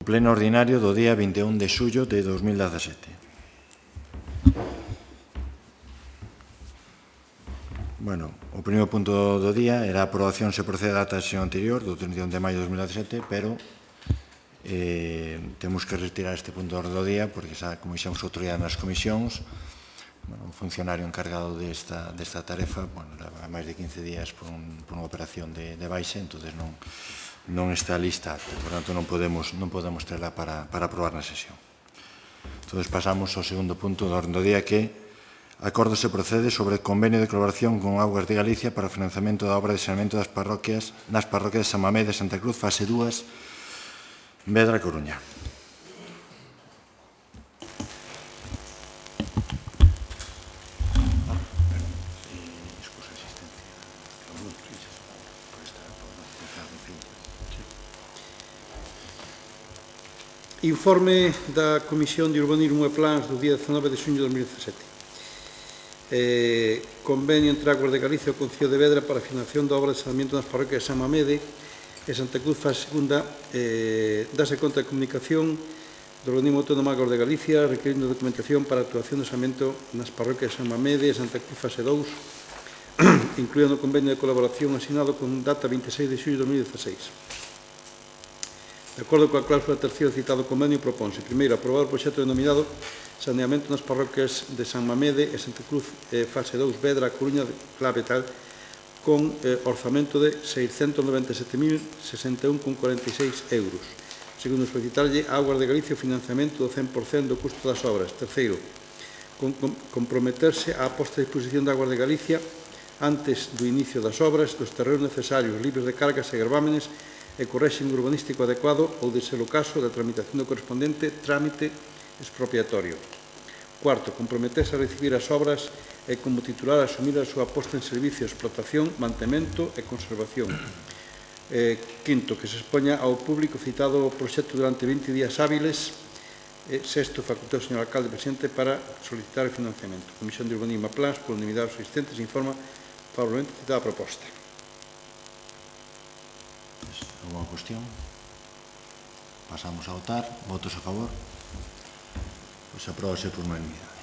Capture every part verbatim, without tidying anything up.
Pleno ordinario do día vinte e un de xullo de dos mil dezasete. Bueno, o primeiro punto do día era a aprobación se procede a data da sesión anterior, do trinta e un de maio de dos mil dezasete, pero eh, temos que retirar este punto do día, porque, xa, como dixemos outro día nas comisións, bueno, un funcionario encargado desta, desta tarefa, bueno, leva máis de quince días por, un, por unha operación de, de baixa, entón non, non está lista, por tanto non podemos, non podemos terla para, para aprobar na sesión. Entón pasamos ao segundo punto do orden do día, que acordo se procede sobre o convenio de colaboración con Augas de Galicia para o financiamento da obra de saneamento das parroquias nas parroquias de San Mamede e Santa Cruz, fase dúas, Vedra, Coruña. Informe da Comisión de Urbanismo e Plans do día dezanove de xuño de dos mil dezasete. Eh, convenio entre Augas de Galicia e o Concello de Vedra para a financiación da obra de saneamento nas parroquias de San Mamede e Santa Cruz, fase segunda. Eh, dase conta de comunicación do Organismo Autónomo Augas de Galicia requerindo documentación para a actuación de saneamento nas parroquias de San Mamede e Santa Cruz, fase dous, incluído no convenio de colaboración asinado con data vinte e seis de xullo de dos mil dezaseis. De acordo coa cláusula terceira citado convenio, propónse, primeiro, aprobar o proxecto denominado Saneamento nas parroquias de San Mamede e Santa Cruz, eh, fase dous, Vedra, Coruña, clave tal, con eh, orzamento de seiscentos noventa e sete mil sesenta e un coma cuarenta e seis euros. Segundo, solicitarlle a Augas de Galicia o financiamento do cen por cento do custo das obras. Terceiro, con, com, comprometerse á posta de disposición de Augas de Galicia antes do inicio das obras dos terrenos necesarios, libres de cargas e gravámenes e co réxime urbanístico adecuado ou, de ser o caso, da tramitación do correspondente trámite expropiatorio. Cuarto, comprometerse a recibir as obras e, como titular, asumir a súa posta en servicio, explotación, mantemento e conservación. Eh, quinto, que se expoña ao público citado o proxecto durante vinte días hábiles. E, sexto, facultado ao señor alcalde presidente para solicitar o financiamento. Comisión de Urbanismo e Plans, por unanimidade dos asistentes, informa favorablemente citada a proposta. Alguna cuestión? Pasamos a votar. Votos a favor? Pois apróbase por unanimidade.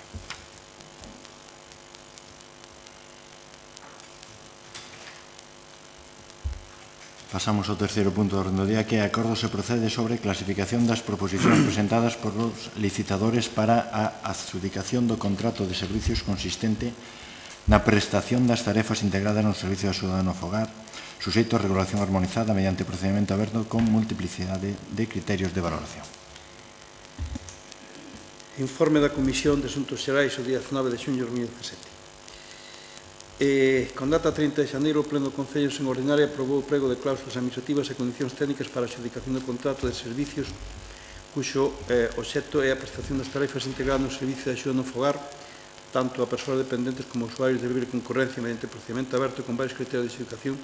Pasamos ao terceiro punto do orden do día, que é acordo se procede sobre clasificación das proposicións presentadas por os licitadores para a adxudicación do contrato de servicios consistente na prestación das tarefas integradas no servicio de axuda no fogar, suxeito a regulación armonizada mediante procedimento aberto con multiplicidade de criterios de valoración. Informe da Comisión de Asuntos Xerais o día dezanove de xuño de dos mil dezasete. Eh, con data trinta de xaneiro, o Pleno do Concello en ordinaria aprobou o prego de cláusulas administrativas e condicións técnicas para a adxudicación do contrato de servicios cuxo eh, obxecto é a prestación das tarefas integradas no servicio de axuda no fogar tanto a persoas dependentes como a usuarios de libre concorrencia mediante procedimento aberto con varios criterios de adxudicación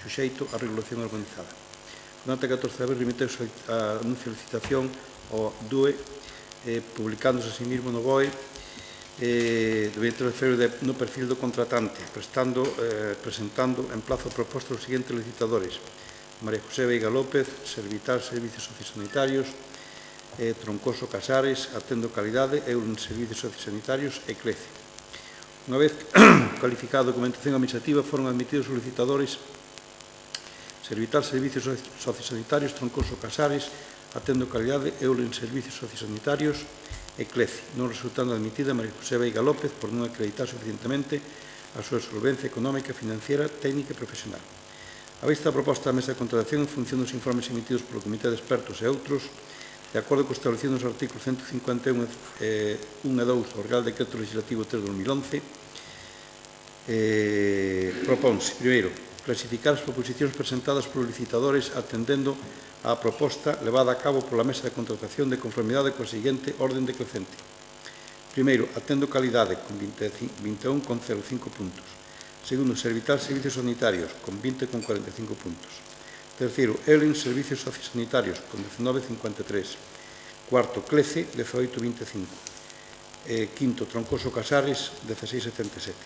suxeito á regulación organizada. Con data catorce de abril remiteuse a anuncio de licitación ao D U E, eh, publicándose así mesmo no B O E, eh, do vinte de febreiro no perfil do contratante, prestando, eh, presentando en plazo proposta os seguintes licitadores: María José Veiga López, Servitar Servicios Sociosanitarios, eh, Troncoso Casares, Atendo Calidade, Eulen Servicios Sociosanitarios e Clece. Unha vez calificada a documentación administrativa, foron admitidos os licitadores Servitar Servicios Sociosanitarios, Troncoso Casares, Atendo Calidade, Eulen Servicios Sociosanitarios e Clece, non resultando admitida María José Veiga López por non acreditar suficientemente a súa solvencia económica, financiera, técnica e profesional. A vista da proposta da mesa de contratación en función dos informes emitidos polo Comité de Expertos e outros, de acordo co establecido nos artículos ciento cincuenta e un e dous do Real Decreto Legislativo tres de dos mil once, eh, propónse, primeiro, clasificar as proposicións presentadas polos licitadores atendendo á proposta levada a cabo pola mesa de contratación de conformidade coa seguinte orden decrecente. Primeiro, Atendo Calidade, con vinte e un coma cero cinco puntos. Segundo, Servitar Servicios Sanitarios, con vinte coma cuarenta e cinco puntos. Terceiro, Eulen Servicios Sociosanitarios, con diecinueve coma cincuenta e tres. Cuarto, Clece, dezaoito coma vinte e cinco. Eh, quinto, Troncoso Casares, dezasseis coma setenta e sete.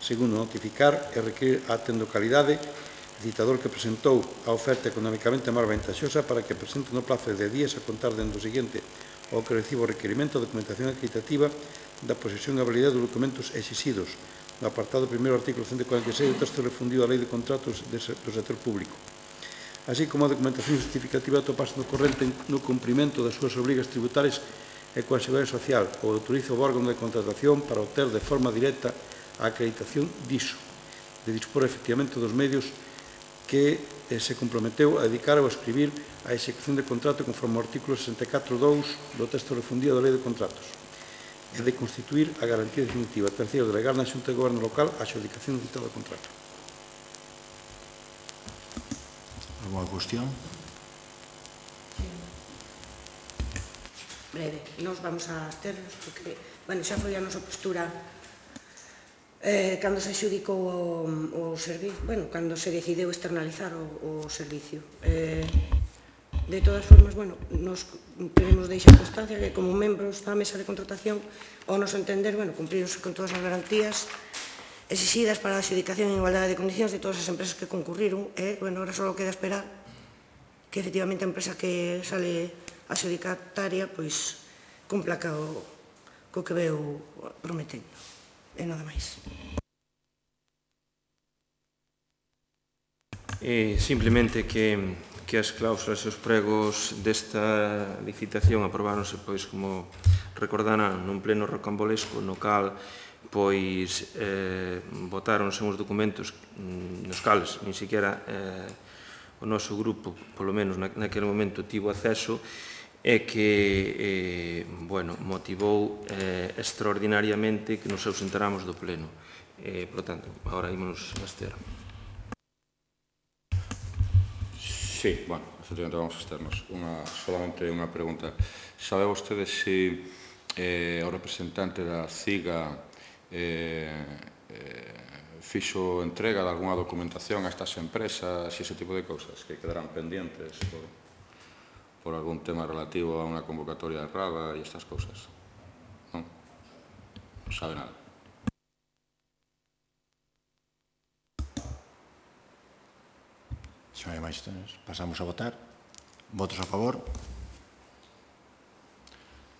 Segundo, notificar e requerir a Atendo Calidade licitador que presentou a oferta económicamente máis vantaxosa para que presente no plazo de días a contar dentro do seguinte ao que recibo o requerimento a documentación acreditativa da posesión e habilidade dos documentos exixidos no apartado primeiro do artículo ciento cuarenta e seis do texto refundido da Lei de Contratos do Sector Público, así como a documentación justificativa atoparse no corrente no cumprimento das súas obrigas tributarias e coa Seguridade Social ou autoriza o órgano de contratación para obter de forma directa a acreditación diso, de dispor efectivamente dos medios que eh, se comprometeu a dedicar ou a escribir a execución de contrato conforme ao artículo sesenta e catro punto dous do texto refundido da Lei de Contratos e de constituir a garantía definitiva. Terceiro, delegar na Xunta de Goberno Local a adxudicación do citado contrato. Alguna cuestión? Breve, nos vamos a absternos porque, bueno, xa foi a nosa postura eh, cando se xudicou o, o servicio, bueno, cando se decideu externalizar o, o servicio. Eh, de todas formas, bueno, nos queremos deixar constancia que como membros da mesa de contratación, ao nos entender, bueno, cumprirse con todas as garantías exixidas para a adjudicación en igualdade de condicións de todas as empresas que concurriron, e, bueno, ahora só queda esperar que efectivamente a empresa que sale adjudicataria, pois, cumpla co, co que veu prometendo. E nada máis. Eh, simplemente que, que as cláusulas e os pregos desta licitación aprobáronse, pois, como recordarán, nun pleno rocambolesco no cal pois eh, votáronse uns documentos nos cales nin siquiera eh, o noso grupo, polo menos naquele momento, tivo acceso, e que, eh, bueno, motivou eh, extraordinariamente que nos ausentáramos do pleno. Eh, por tanto, agora ímonos a abster. Sí, bueno, efectivamente vamos a absternos. Una, solamente unha pregunta. Sabe vostede se eh, o representante da CIGA eh, eh, fixo entrega de alguna documentación a estas empresas e ese tipo de cousas que quedarán pendientes por, por algún tema relativo a unha convocatoria errada e estas cousas? Non? Non sabe nada. Se non hai máis, pasamos a votar. Votos a favor.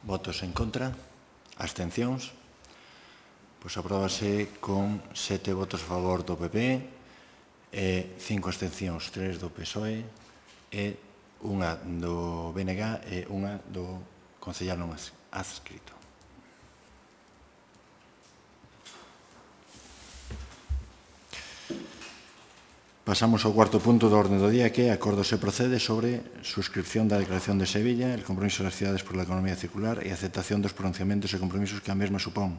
Votos en contra. Abstencións. Pois apróbase con sete votos a favor do P P, e cinco abstencións, tres do P S O E, e unha do B N G e unha do concellal non adscrito. Pasamos ao cuarto punto do orde do día, que é acordo se procede sobre suscripción da Declaración de Sevilla, el compromiso das cidades por la economía circular e aceptación dos pronunciamentos e compromisos que a mesma supón.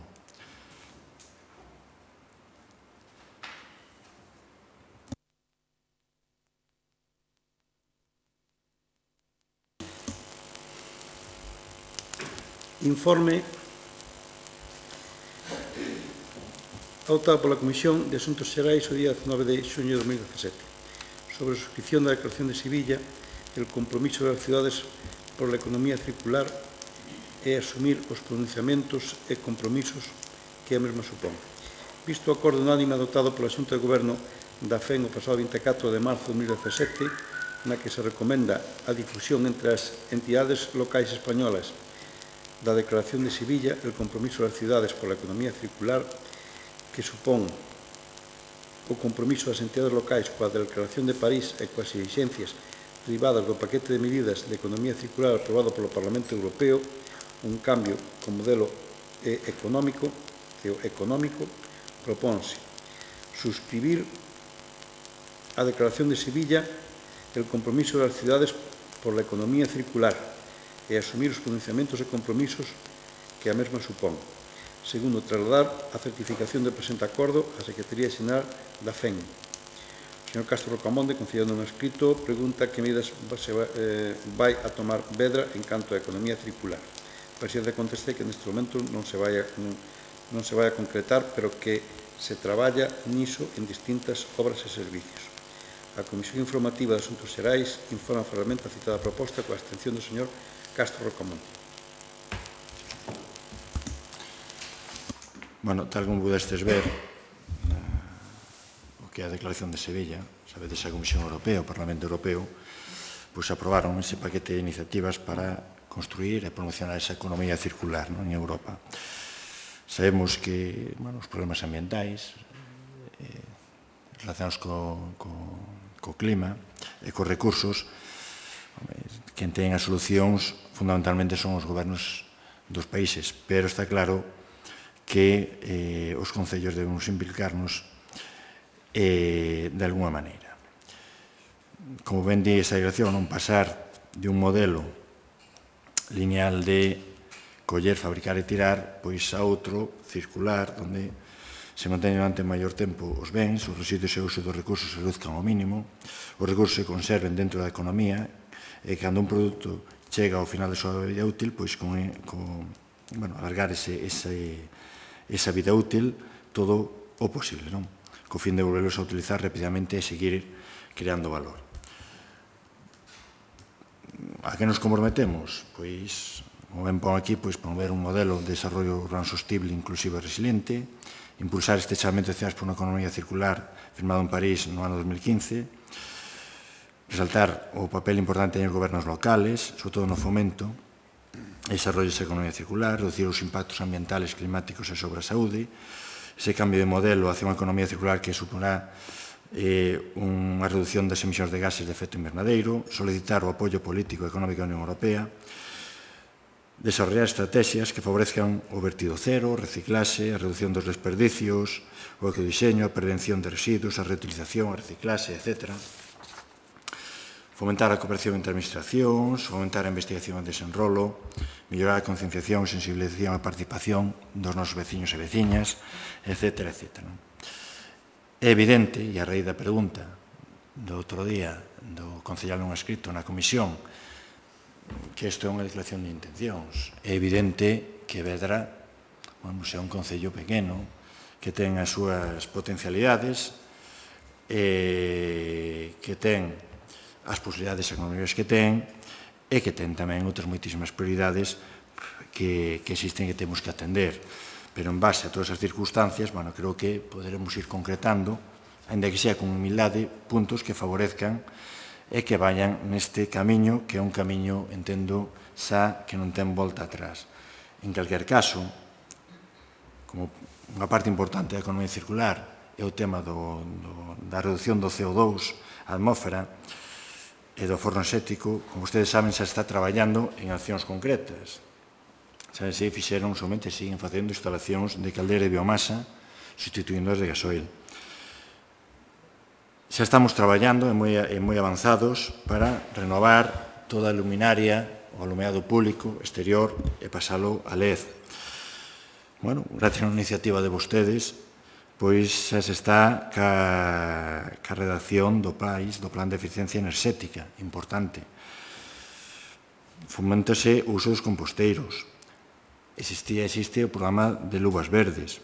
Informe adoptado pola Comisión de Asuntos Xerais o día dezenove de xuño de dos mil dezasete sobre a suscripción da Declaración de Sevilla, el compromiso das cidades por la economía circular e asumir os pronunciamentos e compromisos que a mesma supón. Visto o acordo unánime adoptado pola Xunta de Goberno da F E N o pasado vinte e catro de marzo de dos mil dezasete, na que se recomenda a difusión entre as entidades locais españolas da Declaración de Sevilla, el compromiso das cidades por la economía circular, que supón o compromiso das entidades locais coa Declaración de París e coas exixencias derivadas do paquete de medidas de economía circular aprobado polo Parlamento Europeo, un cambio co modelo económico, económico propónse suscribir a Declaración de Sevilla, el compromiso das cidades por la economía circular e asumir os pronunciamentos e compromisos que a mesma supón. Segundo, trasladar a certificación do presente acordo á Secretaría Xeral da F E N. O señor Castro Rocamonde, concediendo un escrito, pregunta que medidas se vai, eh, vai a tomar Vedra en canto a economía circular. O presidente conteste que neste momento non se vai a, non, non se vai a concretar, pero que se traballa niso en distintas obras e servicios. A Comisión Informativa de Asuntos Xerais informa formalmente a citada proposta coa abstención do señor Castro Rocamonte. Bueno, tal como pudestes ver, o que é a Declaración de Sevilla, sabedes, a Comisión Europea, o Parlamento Europeo, pois aprobaron ese paquete de iniciativas para construir e promocionar esa economía circular en Europa. Sabemos que os problemas ambientais relacionados co clima e cos recursos, quen ten as solucións fundamentalmente son os gobernos dos países, pero está claro que os concellos debemos implicarnos de alguna maneira. Como ben di esta declaración, non pasar de un modelo lineal de coller, fabricar e tirar, pois a outro circular, onde se manteñen durante maior tempo os bens, os residuos e o uso dos recursos se reduzcan ao mínimo, os recursos se conserven dentro da economía, e cando un produto chega ao final da súa vida útil, pois con alargar esa vida útil todo o posible, co fin de volverlos a utilizar rapidamente e seguir creando valor. A que nos comprometemos? Pois, como ben pon aquí, promover un modelo de desarrollo urbano sostible, inclusivo e resiliente, impulsar este chamamento de cidades por unha economía circular firmado en París no ano dos mil quince, resaltar o papel importante dos gobernos locales, sobre todo no fomento e desarrollo desa economía circular, reducir os impactos ambientales, climáticos e sobre a saúde, ese cambio de modelo hacia unha economía circular que suporá unha reducción das emisións de gases de efecto invernadeiro, solicitar o apoio político e económico da Unión Europea, desarrollar estrategias que favorezcan o vertido cero, o reciclaxe, a reducción dos desperdicios, o ecodiseño, a prevención de residuos, a reutilización, a reciclaxe, etcétera. Fomentar a cooperación entre administracións, fomentar a investigación e desenrolo, mellorar a concienciación e sensibilización e a participación dos nosos veciños e veciñas, etcétera, etcétera. É evidente, e a raíz da pregunta do outro día do concellal non escrito na comisión, que isto é unha declaración de intencións. É evidente que Vedra é un concello pequeno que ten as súas potencialidades, que ten as posibilidades económicas que ten e que ten tamén outras moitísimas prioridades que existen e que temos que atender. Pero en base a todas as circunstancias, creo que poderemos ir concretando, ainda que sea con humildade, puntos que favorezcan e que vayan neste camiño, que é un camiño, entendo, xa que non ten volta atrás. En calquer caso, como unha parte importante da economía circular é o tema da reducción do C O dous á atmósfera e do forno xético, como vostedes saben, xa está traballando en accións concretas. Xa se fixeron, somente siguen facendo instalacións de caldeira de biomasa sustituindo as de gasoil. Xa estamos traballando e moi avanzados para renovar toda a luminaria, o alumeado público, exterior, e pasalo a L E D. Bueno, gracias a unha iniciativa de vostedes, pois xa se está ca redacción do país, do Plan de Eficiencia Enerxética, importante. Foméntase o uso dos composteiros. Existía, existe o programa de luvas verdes.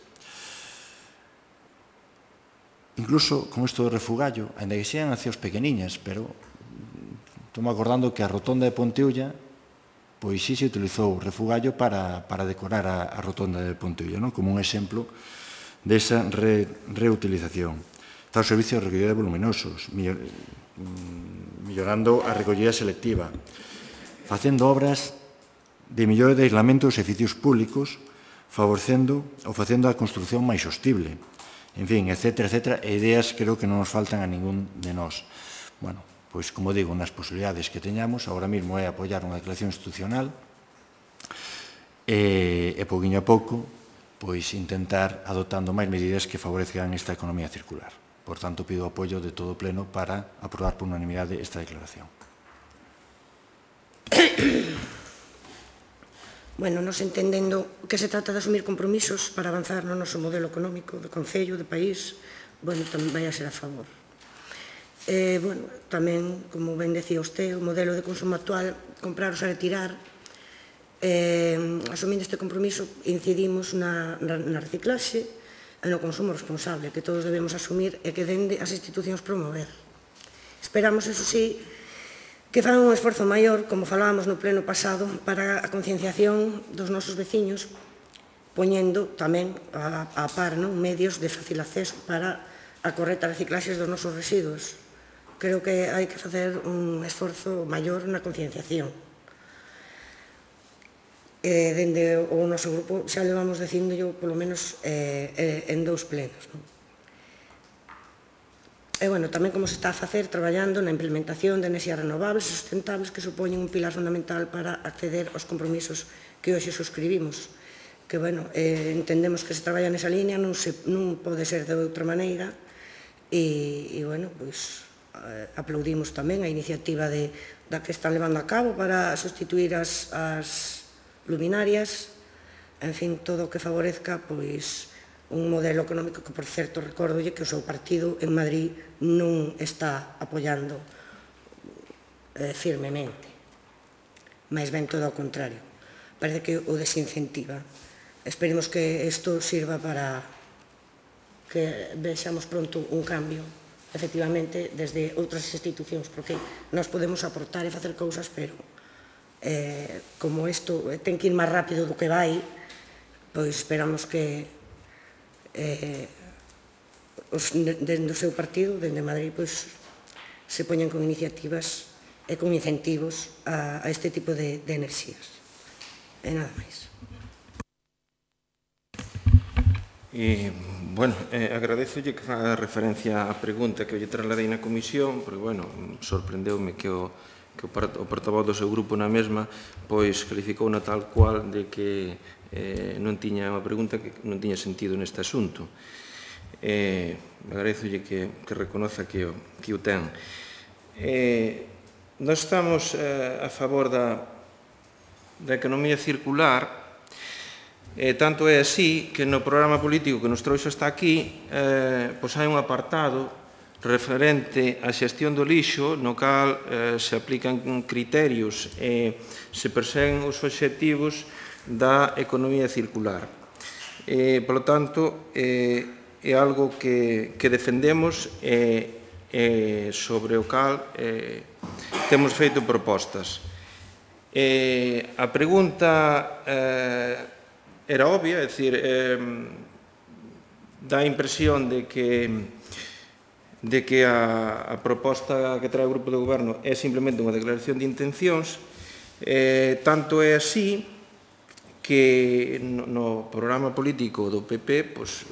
Incluso con isto do refugallo, ainda que sean accións pequeniñas, pero estou-me acordando que a rotonda de Ponteulla, pois sí se utilizou o refugallo para decorar a rotonda de Ponteulla, como un exemplo desa reutilización. Está o servicio de recollida de voluminosos, mellorando a recollida selectiva, facendo obras de mellora de aislamentos dos edificios públicos, favorecendo ou facendo a construción máis sostible. En fin, etcétera, etcétera, e ideas creo que non nos faltan a ningún de nós. Bueno, pois, como digo, nas posibilidades que teñamos, agora mesmo é apoiar unha declaración institucional e, pouquinho a pouco, pois, intentar adoptando máis medidas que favorezcan esta economía circular. Por tanto, pido o apoio de todo o Pleno para aprobar por unanimidade esta declaración. Bueno, nos entendendo que se trata de asumir compromisos para avanzar no noso modelo económico de concello, de país, bueno, tamén vai a ser a favor. Bueno, tamén, como ben decía usted, o modelo de consumo actual, comprar ou retirar, asumindo este compromiso, incidimos na reciclaxe e no consumo responsable, que todos debemos asumir e que dende as institucións promover. Esperamos, eso sí, que fan un esforzo maior, como falábamos no pleno pasado, para a concienciación dos nosos veciños, poñendo tamén a par medios de fácil acceso para a correcta reciclaxe dos nosos residuos. creo que hai que facer un esforzo maior na concienciación. Eh, dende o noso grupo xa levamos dicindo yo, polo menos, eh, eh, en dous plenos, non? E, bueno, tamén como se está a facer traballando na implementación de enerxías renovables e sustentables que supoñen un pilar fundamental para acceder aos compromisos que hoxe suscribimos. Que, bueno, eh, entendemos que se traballa nesa línea, non, se, non pode ser de outra maneira, e, e bueno, pois, eh, aplaudimos tamén a iniciativa de, da que están levando a cabo para sustituir as, as luminarias, en fin, todo o que favorezca, pois, un modelo económico que, por certo, recórdolle que o seu partido en Madrid non está apoiando eh, firmemente, máis ben todo ao contrario. Parece que o desincentiva. Esperemos que isto sirva para que vexamos pronto un cambio, efectivamente, desde outras institucións, porque nós podemos aportar e facer cousas, pero eh, como isto ten que ir máis rápido do que vai, pois esperamos que Eh, os, dende o seu partido, dende Madrid, pois, se poñan con iniciativas e con incentivos a, a este tipo de, de enerxías. E nada máis. E, bueno, eh, agradezolle que faga referencia á pregunta que lle trasladei na comisión, porque, bueno, sorprendeume que o, que o, o portavoz do seu grupo na mesma pois calificou na tal cual de que eh, non tiña unha pregunta que non tiña sentido neste asunto. Eh, agradezolle que, que reconoza que o, que o ten. Eh, nós estamos eh, a favor da, da economía circular. Eh, tanto é así que no programa político que nos trouxe hasta aquí eh, pois hai un apartado referente á xestión do lixo no cal eh, se aplican criterios e se perseguen os obxectivos da economía circular. Eh, por lo tanto, eh, é algo que, que defendemos e eh, sobre o cal eh, temos feito propostas. Eh, a pregunta eh, era obvia, é dicir, eh, dá a impresión de que, de que a, a proposta que trae o Grupo de Goberno é simplemente unha declaración de intencións, eh, tanto é así que no, no programa político do P P pois,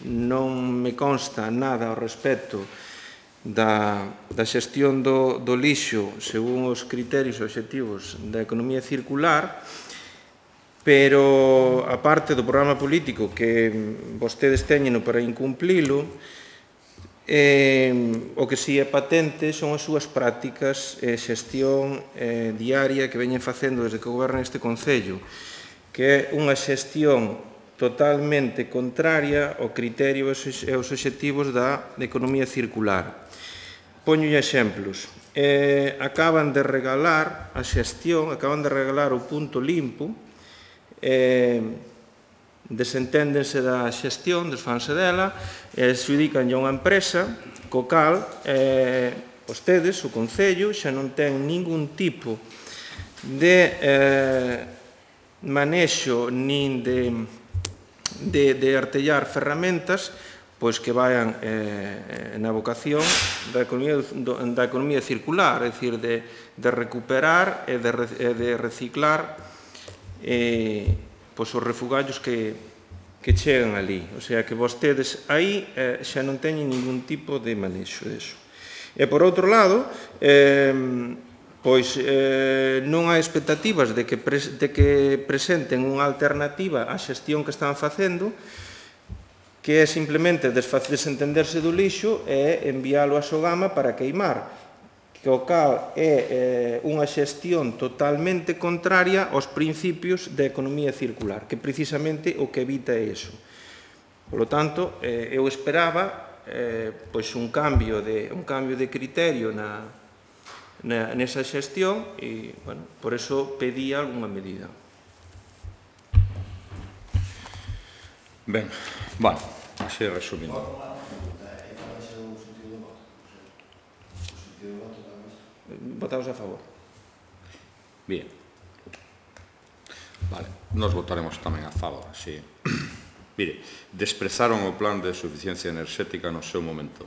non me consta nada ao respecto da, da xestión do, do lixo según os criterios e obxectivos da economía circular, pero a parte do programa político que vostedes teñen para incumplilo, eh, o que si é patente son as súas prácticas e xestión eh, diaria que veñen facendo desde que gobernan este Concello, que é unha xestión totalmente contraria ao criterio e aos obxectivos da economía circular. Poño exemplos. Eh, acaban de regalar a xestión, acaban de regalar o punto limpo, eh, desenténdense da xestión, desfanse dela, e se dedican a unha empresa, co cal, eh, vostedes, o Concello, xa non ten ningún tipo de eh, manexo nin de, de, de artellar ferramentas pois que vayan eh, na vocación da economía, do, da economía circular, é dicir, de, de recuperar e de, e de reciclar eh, pois os refugallos que, que chegan ali. O sea, que vostedes aí eh, xa non teñen ningún tipo de manexo deso. E por outro lado, eh, pois eh, non hai expectativas de que, pres, de que presenten unha alternativa á xestión que están facendo, que é simplemente desentenderse do lixo e enviálo a Sogama para queimar, que o cal é eh, unha xestión totalmente contraria aos principios da economía circular, que precisamente o que evita é iso. Por lo tanto, eh, eu esperaba eh, pois un cambio de, un cambio de criterio na, na, nesa xestión e, bueno, por eso pedí algunha medida. Ben, bueno, así resumindo. Votamos a favor. Bien. Vale, nos votaremos tamén a favor, así. Mire, desprezaron o plan de suficiencia enerxética no seu momento.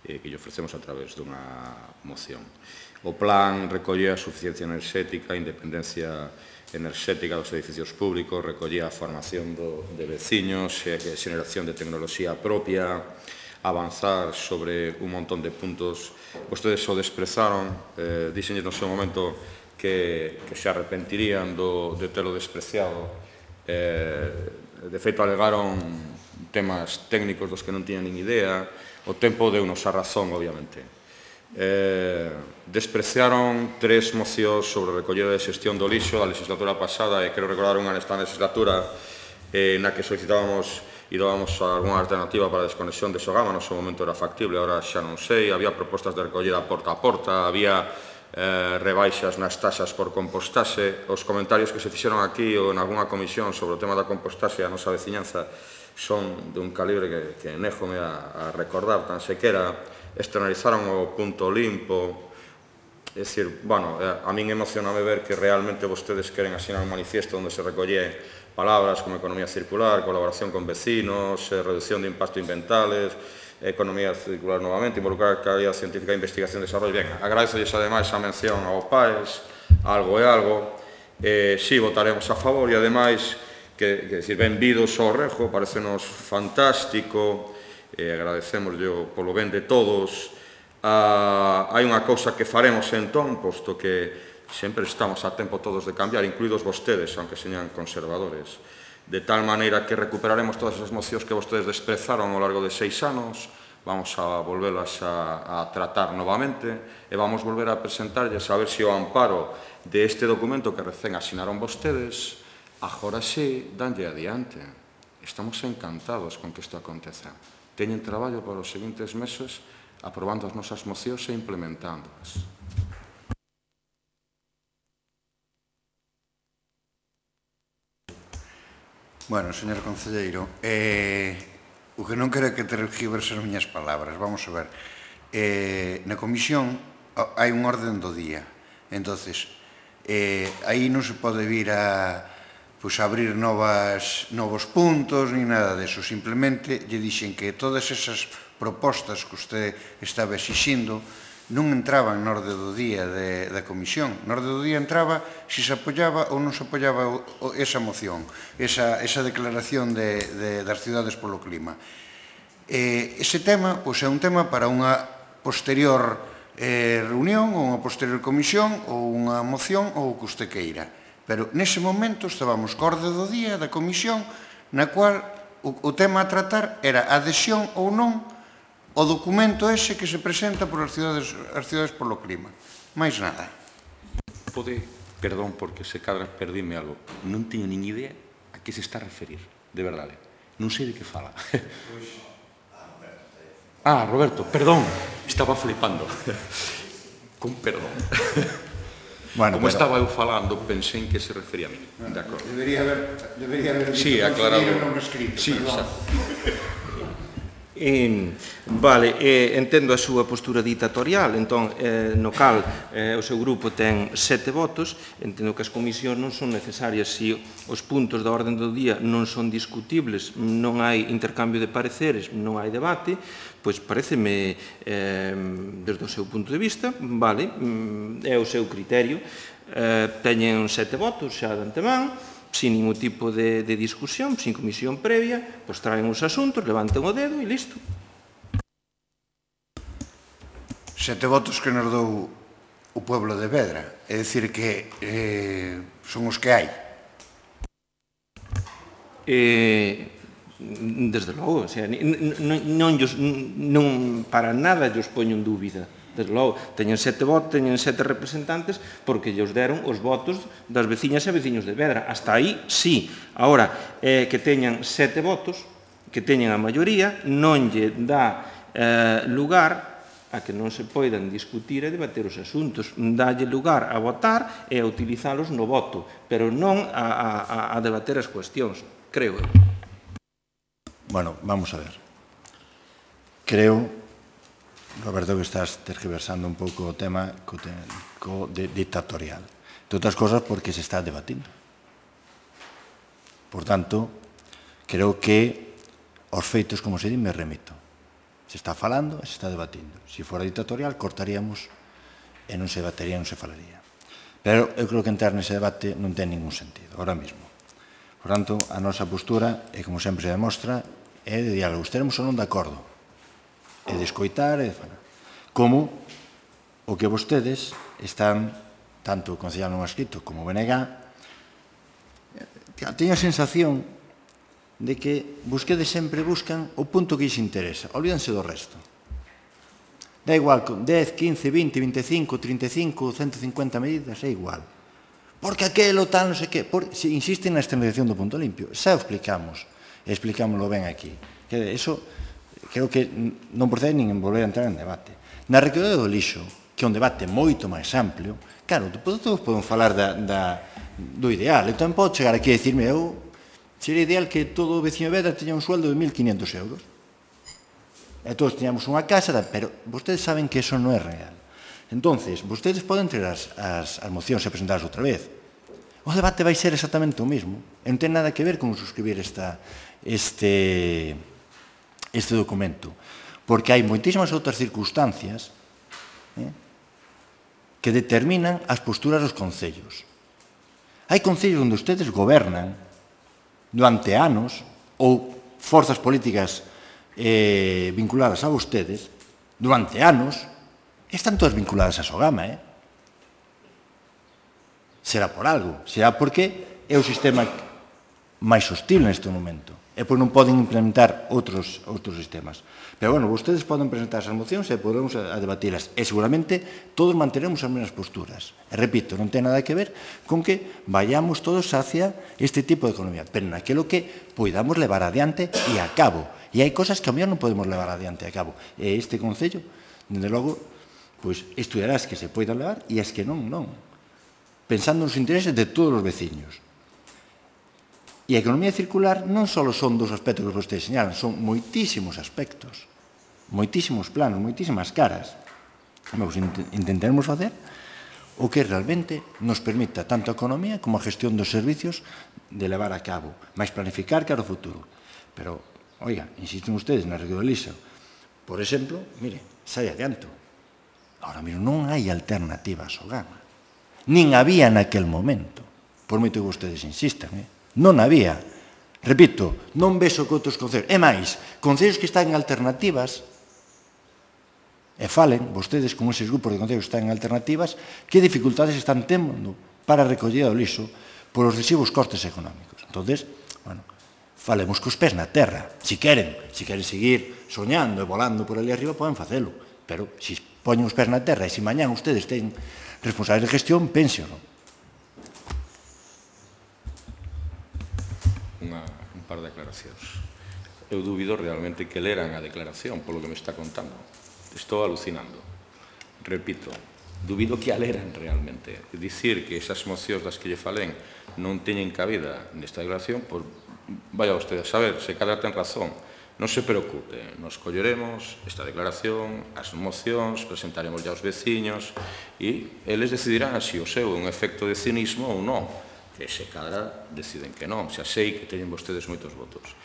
que lle ofrecemos a través dunha moción. O plan recollía a suficiencia enerxética, a independencia enerxética dos edificios públicos, recollía a formación de veciños, a xeneración de tecnoloxía propia, avanzar sobre un montón de puntos. Vostedes o desprezaron, dixenlles no seu momento que se arrepentirían de telo despreciado. De feito, alegaron temas técnicos dos que non tiñan nin idea. O tempo deu-nos a razón, obviamente. Despreciaron tres mocións sobre recollida de xestión do lixo da legislatura pasada, e quero recordar unha nesta legislatura na que solicitábamos e dábamos algunha alternativa para a desconexión de Sogama. No seu momento era factible, agora xa non sei. Había propostas de recollida porta a porta, había rebaixas nas taxas por compostaxe. Os comentarios que se fixeron aquí ou en algunha comisión sobre o tema da compostaxe a nosa veciñanza son de un calibre que néjome a recordar tan sequera. Externalizaron o punto limpo. É dicir, bueno, a min emocioname ver que realmente vostedes queren asinar un manifiesto onde se recolle palabras como economía circular, colaboración con vecinos, reducción de impactos ambientales, economía circular novamente, involucrar calidad científica, investigación e desarrollo. Ben, agradezolles ademais a mención ao P A E S, algo é algo. Si, votaremos a favor e ademais, que, dicir, benvidos ao Rejo, parecenos fantástico, agradecemoslle polo ben de todos. Hai unha cousa que faremos entón, posto que sempre estamos a tempo todos de cambiar, incluídos vostedes, aunque señan conservadores, de tal maneira que recuperaremos todas as mocións que vostedes desprezaron ao largo de seis anos, vamos a volvelas a tratar novamente e vamos volver a presentarlles a ver se o amparo de este documento que recén asinaron vostedes, agora sí, danlle adiante. Estamos encantados con que isto aconteza. Teñen traballo para os seguintes meses aprobando as nosas mocións e implementándoas. Bueno, señor concelleiro, o que non quero é que tergiverse as miñas palabras. Vamos a ver, na comisión hai un orden do día, entonces aí non se pode vir a abrir novos puntos ni nada deso, simplemente lle dixen que todas esas propostas que usted estaba exixindo non entraban na orde do día da comisión. Na orde do día entraba se se apoyaba ou non se apoyaba esa moción, esa declaración das cidades polo clima. Ese tema é un tema para unha posterior reunión ou unha posterior comisión ou unha moción ou o que usted queira. Pero nese momento estábamos co orde do día da comisión na cual o tema a tratar era a adhesión ou non o documento ese que se presenta por as cidades polo clima. Mais nada. Pode, perdón, porque se cadra perdíme algo. Non teño nin idea a que se está a referir, de verdade. Non sei de que fala. Ah, Roberto, perdón, estaba flipando. Con perdón. Como estaba eu falando, pensei en que se refería a mí. Debería haber dito concelleiro non escrito, perdón. Vale, entendo a súa postura ditatorial, entón, no cal o seu grupo ten sete votos, entendo que as comisións non son necesarias se os puntos da orden do día non son discutibles, non hai intercambio de pareceres, non hai debate, pois pareceme, desde o seu punto de vista, vale, é o seu criterio, teñen sete votos xa de antemán, sin ningún tipo de discusión, sin comisión previa, pois traen os asuntos, levanten o dedo e listo. Sete votos que nos dou o pueblo de Vedra, é dicir que son os que hai. Desde logo, non para nada llos poño en dúbida. Desde logo, teñen sete votos, teñen sete representantes porque lles deron os votos das veciñas e veciños de Vedra. Hasta aí, sí. Ahora, que teñan sete votos, que teñen a maioría, non lle dá lugar a que non se poidan discutir e debater os asuntos. Dálle lugar a votar e a utilizalos no voto, pero non a debater as cuestións, creo. Bueno, vamos a ver. Creo, Roberto, que estás tergiversando un pouco o tema dictatorial. De outras cosas, porque se está debatindo. Por tanto, creo que aos feitos, como se di, me remito. Se está falando e se está debatindo. Se fora dictatorial, cortaríamos e non se debatería, non se falaría. Pero eu creo que entrar nese debate non ten ningún sentido, ahora mismo. Por tanto, a nosa postura, e como sempre se demostra, é de diálogo. Estaremos ou non de acordo. É de escoitar e de falar. Como o que vostedes están, tanto o Concellal non escrito como o B N G, teño a sensación de que busquedes sempre buscan o punto que lles interesa. Olvídense do resto. Da igual, con dez, quince, vinte, veinticinco, treinta e cinco, ciento cincuenta medidas, é igual. Porque aquelo tal, non sei que, por, se insisten na externalización do punto limpio. Xa o explicamos, e explicámoslo ben aquí. Que eso, creo que non procede nin en volver a entrar en debate. Na recollida do lixo, que é un debate moito máis amplio, claro, todos podemos falar da, da, do ideal. Eu tamén podo chegar aquí a dicirme, eu, sería ideal que todo o veciño de Vedra teña un sueldo de mil quinientos euros. E todos teñamos unha casa, pero vostedes saben que eso non é real. Entonces, vostedes poden traer as, as, as mocións e presentarlas outra vez. O debate vai ser exactamente o mismo. E non ten nada que ver con suscribir esta, este, este documento. Porque hai moitísimas outras circunstancias eh, que determinan as posturas dos concellos. Hai concellos onde ustedes gobernan durante anos, ou forzas políticas eh, vinculadas a vostedes, durante anos, están todas vinculadas a Sogama, eh? Será por algo, será porque é o sistema máis hostil neste momento, e pois non poden implementar outros, outros sistemas. Pero, bueno, vostedes poden presentar esas mocións e podemos a, a debatilas, e seguramente todos manteremos as mesmas posturas. E, repito, non ten nada que ver con que vayamos todos hacia este tipo de economía, pero naquilo que podamos levar adiante e a cabo. E hai cosas que a mellor non podemos levar adiante a cabo. E este Concello, dende logo, pois estudiará as que se poidan levar e as que non, non. Pensando nos intereses de todos os veciños. E a economía circular non só son dos aspectos que vostedes señalan, son moitísimos aspectos, moitísimos planos, moitísimas caras. Vamos, intentaremos facer o que realmente nos permita tanto a economía como a gestión dos servicios de levar a cabo, máis planificar cara ao futuro. Pero, oiga, insisten ustedes na recollida do lixo. Por exemplo, mire, sai adianto. Ahora mesmo non hai alternativa a Sogama. Nin había naquel momento, por moito que vostedes insistan, eh? Non había. Repito, non vexo que outros concellos. É máis, concellos que están en alternativas, e falen, vostedes con eses grupos de concellos que están en alternativas, que dificultades están tendo para a recollida do lixo por os excesivos costes económicos. Entonces, bueno, falemos cos pés na terra. Si queren, si queren seguir soñando e volando por ali arriba, poden facelo. Pero, se poñen os pés na terra e se mañán ustedes ten responsables de gestión, pénseno. Unha, un par de declaracións. Eu dubido realmente que leran a declaración polo que me está contando. Estou alucinando. Repito, dubido que a leran realmente. Dicir que esas mocións das que lle falen non teñen cabida nesta declaración, pois vaya usted a saber, se cada ten razón. Non se preocupe, nos colleremos esta declaración, as mocións, presentaremos ya aos veciños e eles decidirán se o seu é un efecto de cinismo ou non, que se cadra deciden que non, xa sei que teñen vostedes moitos votos.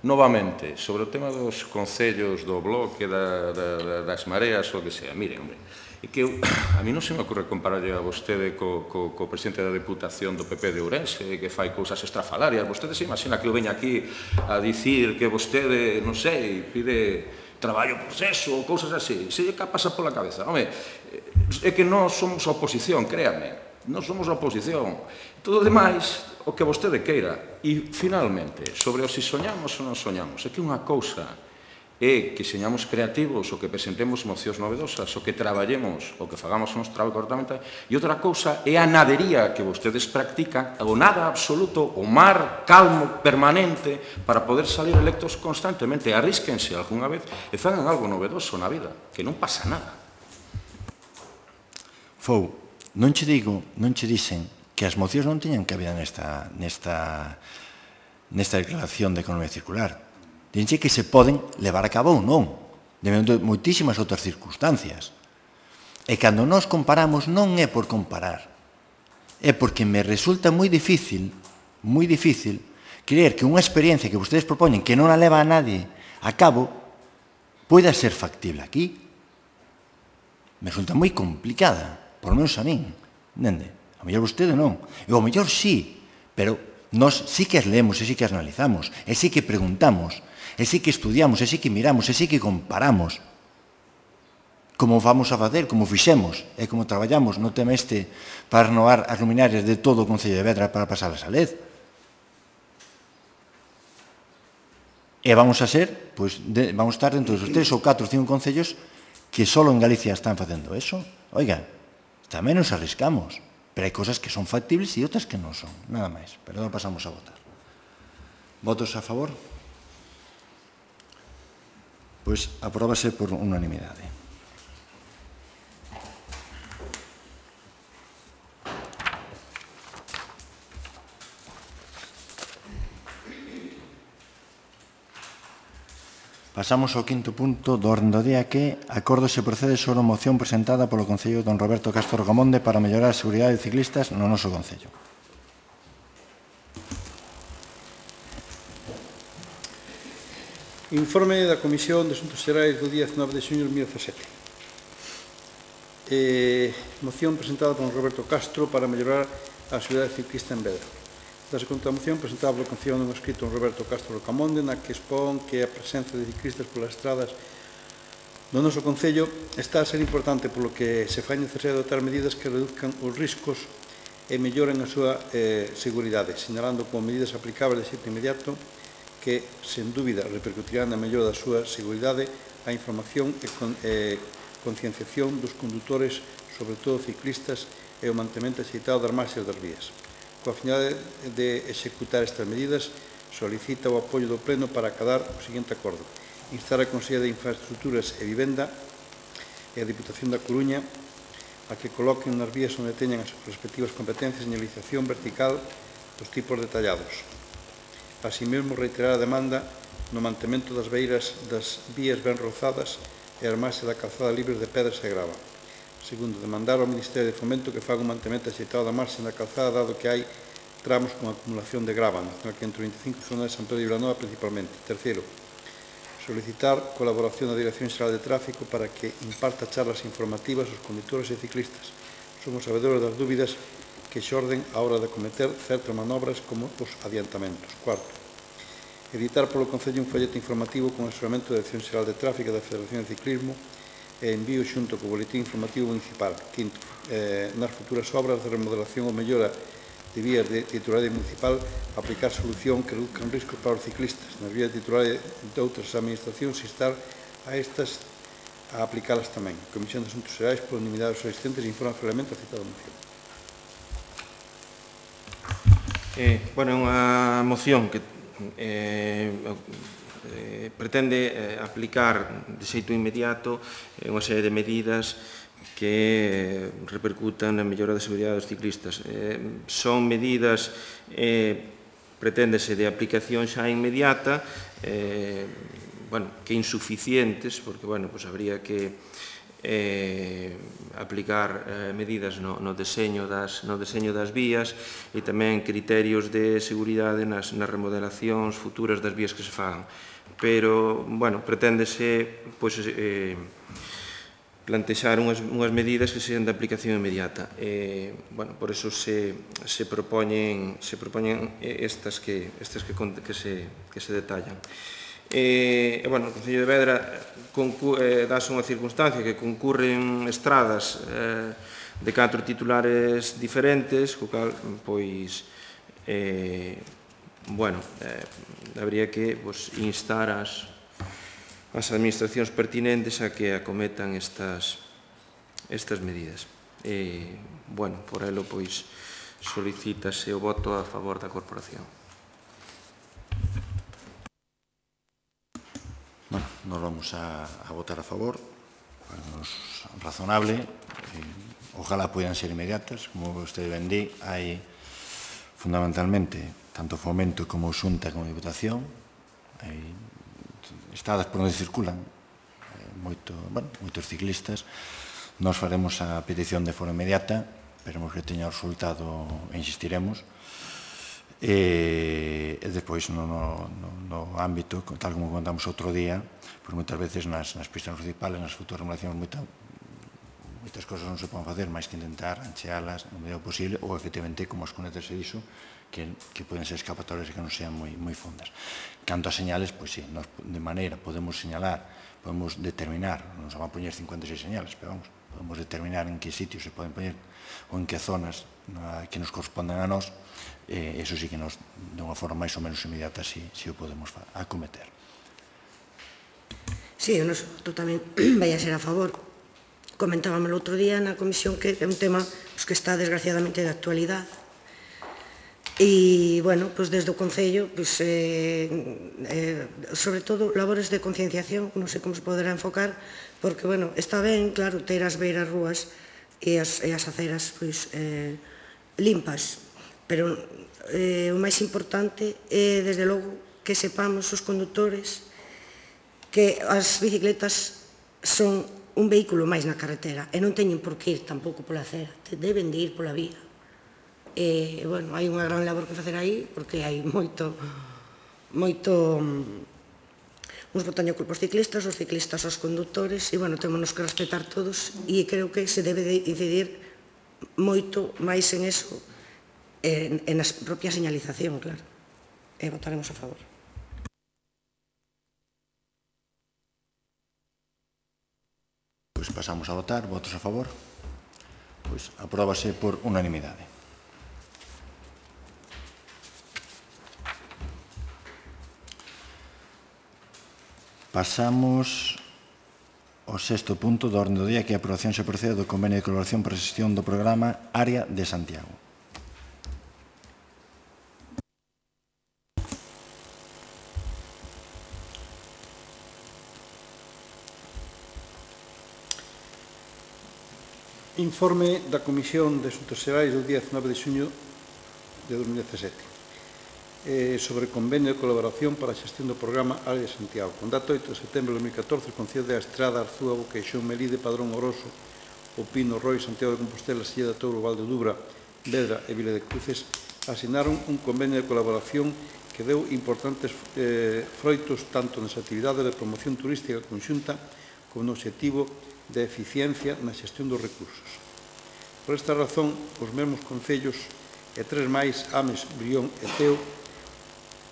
Novamente, sobre o tema dos concellos do bloque, da, da, das mareas ou o que sea, mire, hombre, é que eu, a mí non se me ocurre compararlle a vostede co, co, co presidente da Deputación do P P de Ourense, que fai cousas estrafalarias. Vostede se imagina que eu veña aquí a dicir que vostede, non sei, pide traballo proceso ou cousas así. Se lle pasa pola cabeza. Home, é que non somos oposición, créame. Non somos oposición. Todo o demais, o que vostede queira. E, finalmente, sobre o si soñamos ou non soñamos, é que unha cousa é que señamos creativos, o que presentemos mocións novedosas, o que traballemos, o que fagamos o noso traballo correctamente, e outra cousa é a nadería que vostedes practican, o nada absoluto, o mar calmo, permanente, para poder salir electos constantemente. Arrísquense algunha vez e fagan algo novedoso na vida, que non pasa nada. Fou, non che digo, non che dicen que as mocións non teñan cabida nesta, nesta, nesta declaración de economía circular. Dinche que se poden levar a cabo ou non, dependendo de moitísimas outras circunstancias. E cando nos comparamos non é por comparar, é porque me resulta moi difícil, moi difícil, creer que unha experiencia que vostedes propoñen que non a leva a nadie a cabo, poida ser factible aquí. Me resulta moi complicada, por lo menos a min, entende? A mellor vostede non. E ao mellor sí, pero nós sí que as leemos, e sí que as analizamos, e sí que preguntamos, e sí que estudiamos, e sí que miramos, e sí que comparamos como vamos a facer, como fixemos, e como traballamos no tema este para renovar as luminarias de todo o Concello de Vedra para pasalas a L E D. E vamos a ser, pois, de, vamos a estar dentro dos tres ou catro ou cinco concellos que só en Galicia están facendo eso. Oiga, tamén nos arriscamos, pero hai cosas que son factibles e outras que non son, nada máis. Pero non pasamos a votar. Votos a favor? Pois apróbase por unanimidade. Pasamos ao quinto punto do orden do día, que acordo se procede sobre a moción presentada polo Concello don Roberto Castro Rocamonde para mellorar a seguridade de ciclistas no noso Concello. Informe da Comisión de Asuntos Xerais do día diecinueve de xuño de dos mil dezasete. Eh, moción presentada por Roberto Castro para mellorar a seguridade ciclista en Vedra. Dase conta da moción presentada polo Concello nun escrito en Roberto Castro Rocamonde, na que expón que a presencia de ciclistas polas estradas no noso Concello está a ser importante, polo que se fai necesario adoptar medidas que reduzcan os riscos e melloren a súa eh, seguridade, sinalando como medidas aplicables de xeito inmediato que, sen dúbida, repercutirán na mellora da súa seguridade a información e con, eh, concienciación dos condutores, sobre todo ciclistas, e o mantemento axeitado das marxes das vías. Coa finalidade de executar estas medidas, solicita o apoio do Pleno para acadar o seguinte acordo. Instar a Consellería de Infraestructuras e Vivenda e a Diputación da Coruña a que coloquen nas vías onde teñan as respectivas competencias señalización vertical dos tipos detallados. Así mesmo, reiterar a demanda no mantemento das beiras das vías ben rozadas e as marxes da calzada libres de pedras e grava. Segundo, demandar ao Ministerio de Fomento que faga un mantemento axeitado da marxe da calzada, dado que hai tramos con acumulación de grava, na zona ciento veinticinco e zona de San Pedro de Vilanova principalmente. Terceiro, solicitar colaboración da Dirección Xeral de Tráfico para que imparta charlas informativas aos condutores e ciclistas. Somos sabedores das dúbidas que xorden á hora de cometer certas manobras como os adiantamentos. Cuarto, editar polo Concello un folleto informativo con asesoramento da Dirección Xeral de Tráfico e da Federación de Ciclismo e envío xunto co boletín informativo municipal. Quinto, eh, nas futuras obras de remodelación ou mellora de vías de titularidade municipal, aplicar solución que reduzcan riscos para os ciclistas. Nas vías de titularidade de outras administracións, instar a estas a aplicalas tamén. A Comisión de Asuntos Xerais, por unanimidade dos asistentes, informa favorablemente a citada moción. Eh, bueno, é unha moción que eh, eh, pretende eh, aplicar de xeito inmediato eh, unha serie de medidas que repercutan na mellora da seguridade dos ciclistas. Eh, son medidas, eh, preténdese de aplicación xa inmediata, eh, bueno, que insuficientes, porque, bueno, pues habría que eh, aplicar eh, medidas no, no, deseño das, no deseño das vías e tamén criterios de seguridade nas, nas remodelacións futuras das vías que se fagan. Pero, bueno, preténdese, pois, eh, plantexar unhas, unhas medidas que sean de aplicación inmediata. Eh, bueno, por eso se, se propoñen, se propoñen estas que, estas que, que, se, que se detallan. E, eh, bueno, o Concello de Vedra eh, dáse unha circunstancia que concurren estradas eh, de catro titulares diferentes, co cal, pois, eh, bueno, eh, habría que pues, instar as, as administracións pertinentes a que acometan estas, estas medidas. E, bueno, por elo, pois, solicítase o voto a favor da corporación. Bueno, nos vamos a, a votar a favor, es razonable, eh, ojalá puedan ser inmediatas, como usted ben di, hai fundamentalmente tanto Fomento como Xunta como Diputación, hai estradas por onde circulan eh, moito, bueno, moitos ciclistas. Nos faremos a petición de forma inmediata, esperemos que teña o resultado e insistiremos. E, e despois, no, no, no ámbito, tal como contamos outro día, pois moitas veces nas, nas pistas municipales, nas fotorremulacións, moita, moitas cosas non se poden facer, máis que intentar anchealas no medio posible, ou, efectivamente, como as cunetas se dixo, que, que poden ser escapatorias que non sean moi, moi fondas. Canto a señales, pois sí, nos, de maneira podemos señalar, podemos determinar, non se van a poñer cincuenta e seis señales, pero vamos, podemos determinar en que sitios se poden poñer ou en que zonas na, que nos corresponden a nós, eh, eso sí que nos, de unha forma máis ou menos inmediata, si, si o podemos acometer. Sí, o noso tamén vai a ser a favor. Comentábamos o outro día na comisión que é un tema pues, que está desgraciadamente de actualidade. E, bueno, pues desde o Concello, pues, eh, eh, sobre todo, labores de concienciación, non sei como se poderá enfocar, porque, bueno, está ben, claro, ter as beiras rúas e as, e as aceras, pues, eh, limpas, pero eh, o máis importante é, desde logo, que sepamos os condutores que as bicicletas son un vehículo máis na carretera e non teñen por que ir tampouco pola acera, deben de ir pola vía. E, bueno, hai unha gran labor que facer aí, porque hai moito, moito, uns botaño culpa aos ciclistas, os ciclistas aos conductores, e, bueno, temos que respetar todos, e creo que se debe de incidir moito máis en eso, en, en a propia señalización, claro. E votaremos a favor. Pois pasamos a votar, votos a favor. Pois apróbase por unanimidade. Pasamos ao sexto punto do orde do día, que é a aprobación se procede do convenio de colaboración para a xestión do programa Área de Santiago. Informe da Comisión de Asuntos Xerais do día dezanove de xuño de dos mil dezasete. Eh, sobre convenio de colaboración para a xestión do programa Área de Santiago. Con data oito de setembro de dos mil catorce, o Concello de Estrada, Arzúa, Boqueixón, Melide, Padrón, Oroso, O Pino, Roi, Santiago de Compostela, Silla de Touro, Valde Dubra, Vedra e Vila de Cruces asinaron un convenio de colaboración que deu importantes eh, froitos tanto nas actividades de promoción turística conxunta como no objetivo de eficiencia na xestión dos recursos. Por esta razón, os mesmos concellos e tres máis, Ames, Brión e Teo,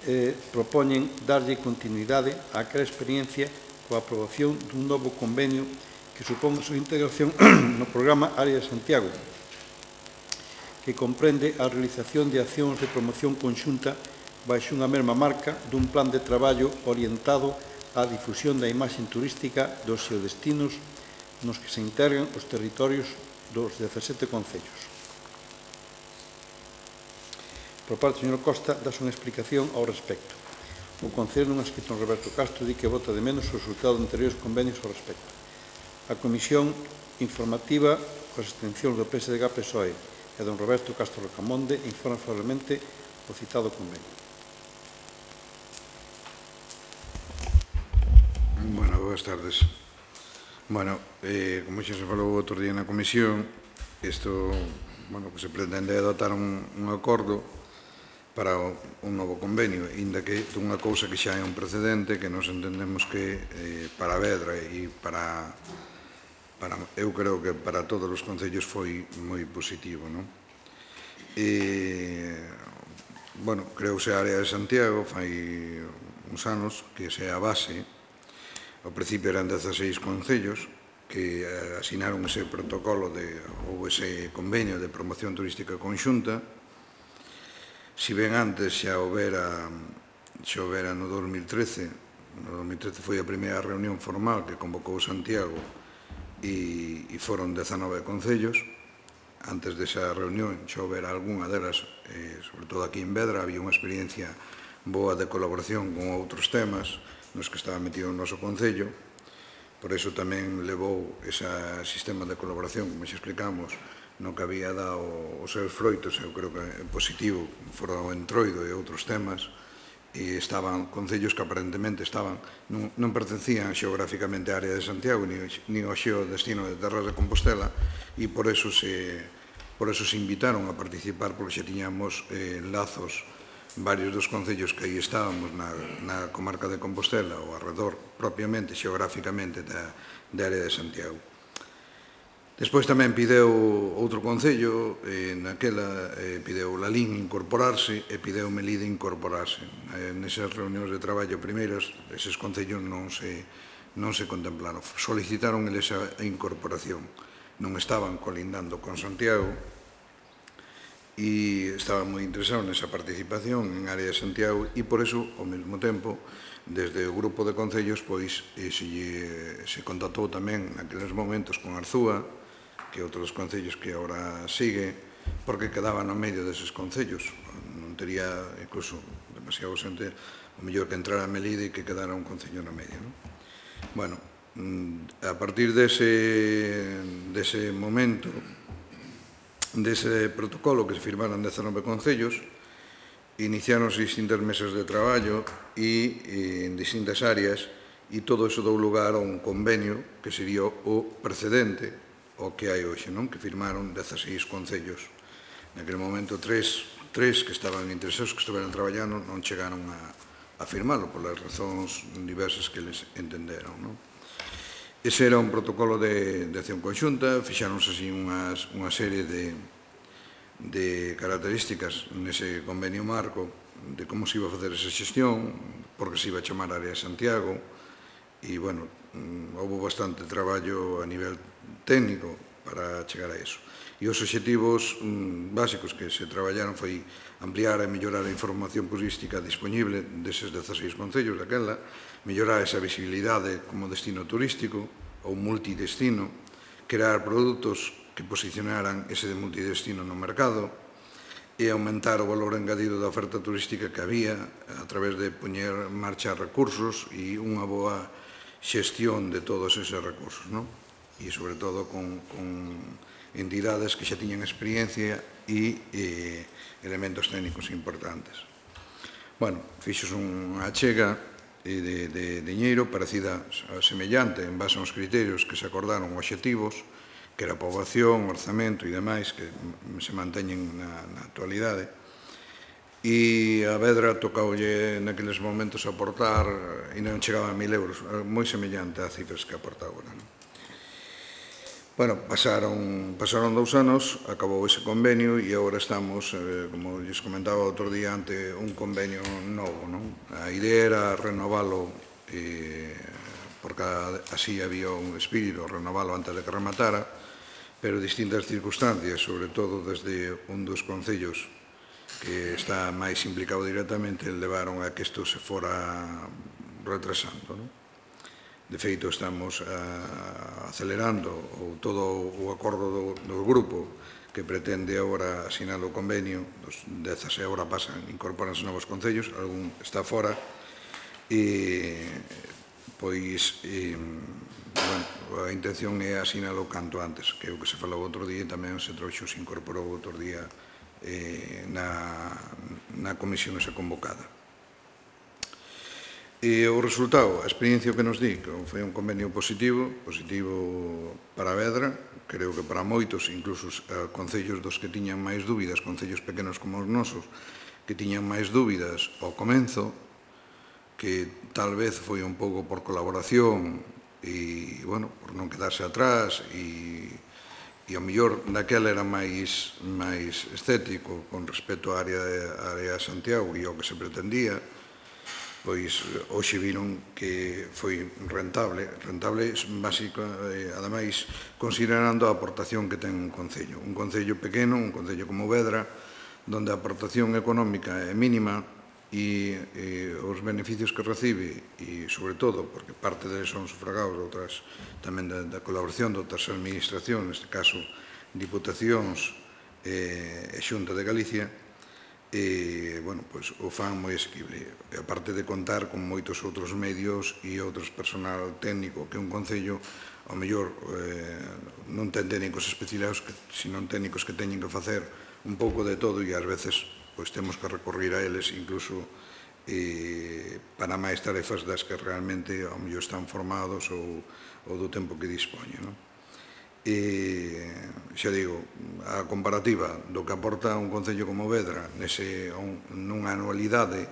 eh, propoñen darlle continuidade á aquela experiencia coa aprobación dun novo convenio que supón a súa integración no programa Área de Santiago, que comprende a realización de accións de promoción conxunta baixo unha mesma marca dun plan de traballo orientado á difusión da imaxe turística dos xeodestinos nos que se integran os territorios dos dezasete concellos. Por parte do señor Costa, dáse unha explicación ao respecto. O Concello, nun escrito en Roberto Castro, di que vota de menos o resultado de anteriores convenios ao respecto. A Comisión Informativa, coas extensións do P S D G P S O E e don Roberto Castro Rocamonde, informa favorablemente o citado convenio. Bueno, boas tardes. Bueno, eh, como xa se falou outro día na Comisión, isto, bueno, que se pretende adoptar un, un acordo para un novo convenio, inda que dunha cousa que xa é un precedente, que nos entendemos que eh, para Vedra e para, para, eu creo que para todos os concellos foi moi positivo, non? E, bueno, creouse a Área de Santiago, fai uns anos, que se a base. Ao principio eran dezaseis concellos que asinaron ese protocolo de, ou ese convenio de promoción turística conxunta. Si ben antes xa houbera, xa houbera no dos mil trece, no dos mil trece foi a primeira reunión formal que convocou Santiago e, e foron dezanove concellos. Antes desa reunión xa houbera algunha delas, eh, sobre todo aquí en Vedra, había unha experiencia boa de colaboración con outros temas nos que estaba metido o noso concello. Por iso tamén levou ese sistema de colaboración, como xa explicamos, no que había dado os seus froitos, eu creo que é positivo, fora o Entroido e outros temas, e estaban concellos que aparentemente estaban, non, non pertencían xeográficamente á área de Santiago, ni, ni ao xeodestino de Terras de Compostela, e por eso se, por eso se invitaron a participar, porque xa tiñamos eh, lazos varios dos concellos que aí estábamos na, na comarca de Compostela ou arredor propiamente, xeográficamente da, da área de Santiago. Despois tamén pideu outro concello, eh, naquela eh, pideu Lalín incorporarse e pideu Melide incorporarse. Eh, nesas reunións de traballo primeiras, eses concellos non se, non se contemplaron. Solicitaron eles a incorporación. Non estaban colindando con Santiago e estaban moi interesados nesa participación en área de Santiago e por eso, ao mesmo tempo, desde o grupo de concellos, pois, eh, se, se contactou tamén naqueles momentos con Arzúa, que é outro dos concellos que agora sigue, porque quedaba no medio deses concellos. Non tería, incluso, demasiado xente, o mellor que entrara a Melide e que quedara un concello no medio. Non? Bueno, a partir dese, dese momento, dese protocolo que se firmaron dezanove concellos, iniciáronse distintas mesas de traballo e en distintas áreas e todo iso dou lugar a un convenio que sería o precedente ao que hai hoxe, non? Que firmaron dezaseis concellos. Naquele momento, tres, tres que estaban interesados, que estiveran traballando, non chegaron a, a firmalo polas razóns diversas que les entenderon, non? Ese era un protocolo de, de acción conxunta, fixáronse así unhas, unha serie de, de características nese convenio marco de como se iba a facer esa xestión, porque se iba a chamar Área de Santiago, e, bueno, houve bastante traballo a nivel técnico para chegar a eso. E os obxectivos básicos que se traballaron foi ampliar e mellorar a información turística disponible deses dezaseis concellos daquela, mellorar esa visibilidade como destino turístico ou multidestino, crear produtos que posicionaran ese de multidestino no mercado e aumentar o valor engadido da oferta turística que había a través de poñer en marcha recursos e unha boa xestión de todos eses recursos, non? E, sobre todo, con, con entidades que xa tiñan experiencia e eh, elementos técnicos importantes. Bueno, fixos unha achega de, de diñeiro parecida semellante en base aos criterios que se acordaron obxectivos, que era poboación, orzamento e demais, que se manteñen na, na actualidade. E a Vedra tocoulle naqueles momentos aportar, e non chegaba a mil euros, moi semellante a cifras que aporta agora. Non? Bueno, pasaron, pasaron dous anos, acabou ese convenio e agora estamos, eh, como lles comentaba outro día, ante un convenio novo. Non? A idea era renovalo, eh, porque así había un espírito, renovalo antes de que rematara, pero distintas circunstancias, sobre todo desde un dos concellos que está máis implicado directamente, levaron a que isto se fora retrasando. Non? De feito, estamos a, acelerando o, todo o acordo do, do grupo que pretende agora asinar o convenio, dos dezas e agora pasan, incorporanse novos concellos, algún está fora, e pois e, bueno, a intención é asinalo canto antes, que é o que se falou outro día e tamén se trouxo, se incorporou outro día eh, na, na comisión esa convocada. E o resultado, a experiencia que nos di, que foi un convenio positivo, positivo para Vedra, creo que para moitos, incluso uh, concellos dos que tiñan máis dúbidas, concellos pequenos como os nosos, que tiñan máis dúbidas ao comenzo, que tal vez foi un pouco por colaboración e, bueno, por non quedarse atrás e, e ao mellor daquela era máis, máis estético con respecto á área de, á área de Santiago e ao que se pretendía, pois hoxe viron que foi rentable, rentable básico, eh, ademais, considerando a aportación que ten un concello. Un concello pequeno, un concello como Vedra, donde a aportación económica é mínima e eh, os beneficios que recibe, e sobre todo, porque parte deles son sufragados outras, tamén da, da colaboración de outras administracións, neste caso, Diputacións e eh, Xunta de Galicia, e, bueno, pois, o fan moi asequible. E, aparte de contar con moitos outros medios e outros personal técnico que un concello, ao mellor, eh, non ten técnicos especializados, que, sino técnicos que teñen que facer un pouco de todo e, ás veces, pois, temos que recorrer a eles, incluso, eh, para máis tarefas das que realmente, ao mellor, están formados ou, ou do tempo que dispoñen, non? E, xa digo, a comparativa do que aporta un concello como Vedra nese, nunha anualidade,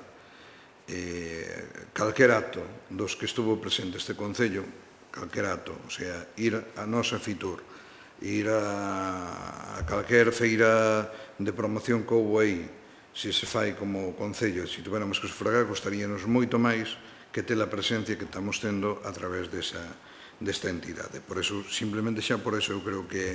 eh, calquer acto dos que estuvo presente este concello, calquer acto, o sea, ir a nosa Fitur, ir a, a calquer feira de promoción que houve aí, se se fai como concello, se tuviéramos que sufragar, costaríanos moito máis que ter a presencia que estamos tendo a través desa, desta entidade. Por eso, simplemente xa por eso eu creo que é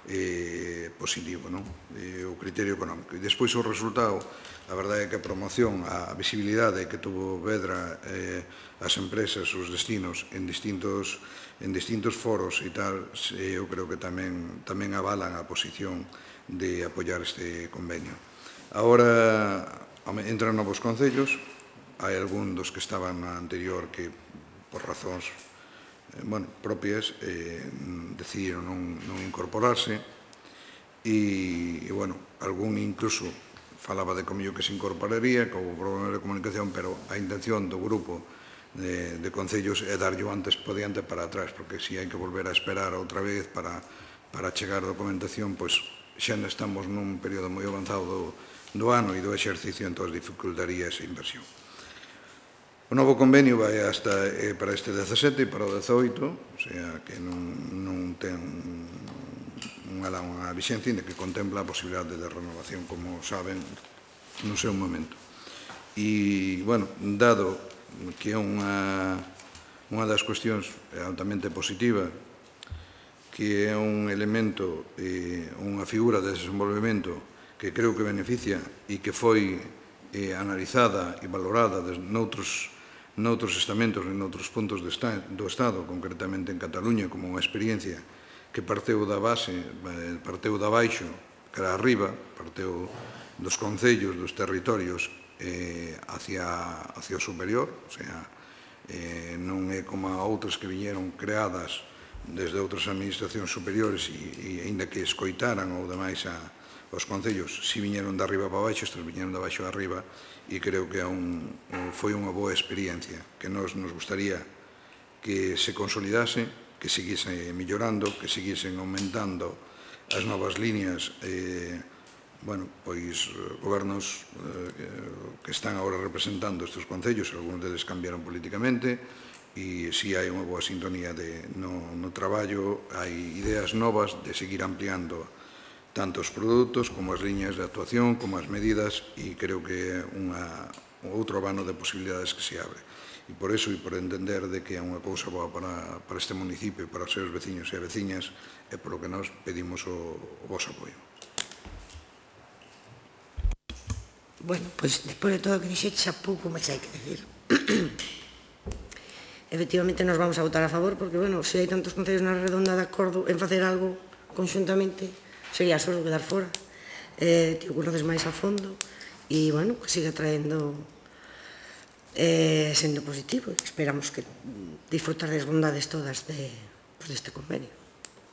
eh, positivo, non? Eh, o criterio económico. E despois o resultado, a verdade é que a promoción, a visibilidade que tuvo Vedra, eh, as empresas, os destinos en distintos, en distintos foros e tal, eh, eu creo que tamén, tamén avalan a posición de apoiar este convenio. Agora entran novos concellos, hai algún dos que estaban na anterior que, por razóns bueno, propias, eh, decidiron non, non incorporarse e, e, bueno, algún incluso falaba de comillo que se incorporaría, que houve problemas de comunicación, pero a intención do grupo de, de concellos é darlle o antes po diante para atrás, porque se hai que volver a esperar outra vez para, para chegar a documentación, pois xa estamos nun período moi avanzado do, do ano e do exercicio, entón dificultaría esa inversión. O novo convenio vai hasta eh, para este dezasete e para o dezoito, o sea, que non, non ten unha, unha vixencia que contempla a posibilidade de renovación, como saben, no seu momento. E, bueno, dado que é unha, unha das cuestións altamente positiva, que é un elemento, eh, unha figura de desenvolvemento que creo que beneficia e que foi eh, analizada e valorada noutros, noutros estamentos e noutros puntos do, esta, do Estado, concretamente en Cataluña, como unha experiencia que parteu da base, parteu da baixo, que era arriba, parteu dos concellos, dos territorios, eh, hacia, hacia o superior, o sea, eh, non é como a outras que viñeron creadas desde outras administracións superiores e, e ainda que escoitaran ou demais a, os concellos, si viñeron de arriba para baixo, estes viñeron de baixo a arriba, e creo que un, foi unha boa experiencia que nos, nos gustaría que se consolidase, que seguise mellorando, que seguisen aumentando as novas líneas, eh, bueno, pois gobernos eh, que están agora representando estes concellos, algúns deles cambiaron políticamente, e si hai unha boa sintonía de, no, no traballo, hai ideas novas de seguir ampliando tanto os produtos como as liñas de actuación, como as medidas, e creo que é unha, un outro abano de posibilidades que se abre. E por iso, e por entender de que é unha cousa boa para, para este municipio, para os seus veciños e veciñas, é polo que nós pedimos o, o vosso apoio. Bueno, pois, despois de todo o que dixete, xa pouco máis hai que decir. Efectivamente, nos vamos a votar a favor, porque, bueno, se hai tantos concellos na redonda de acordo en facer algo conxuntamente, sería só quedar fora. Eh, ti o conoces máis a fondo e, bueno, que siga traendo eh, sendo positivo. Esperamos que disfrutar das bondades todas de, pues, deste convenio.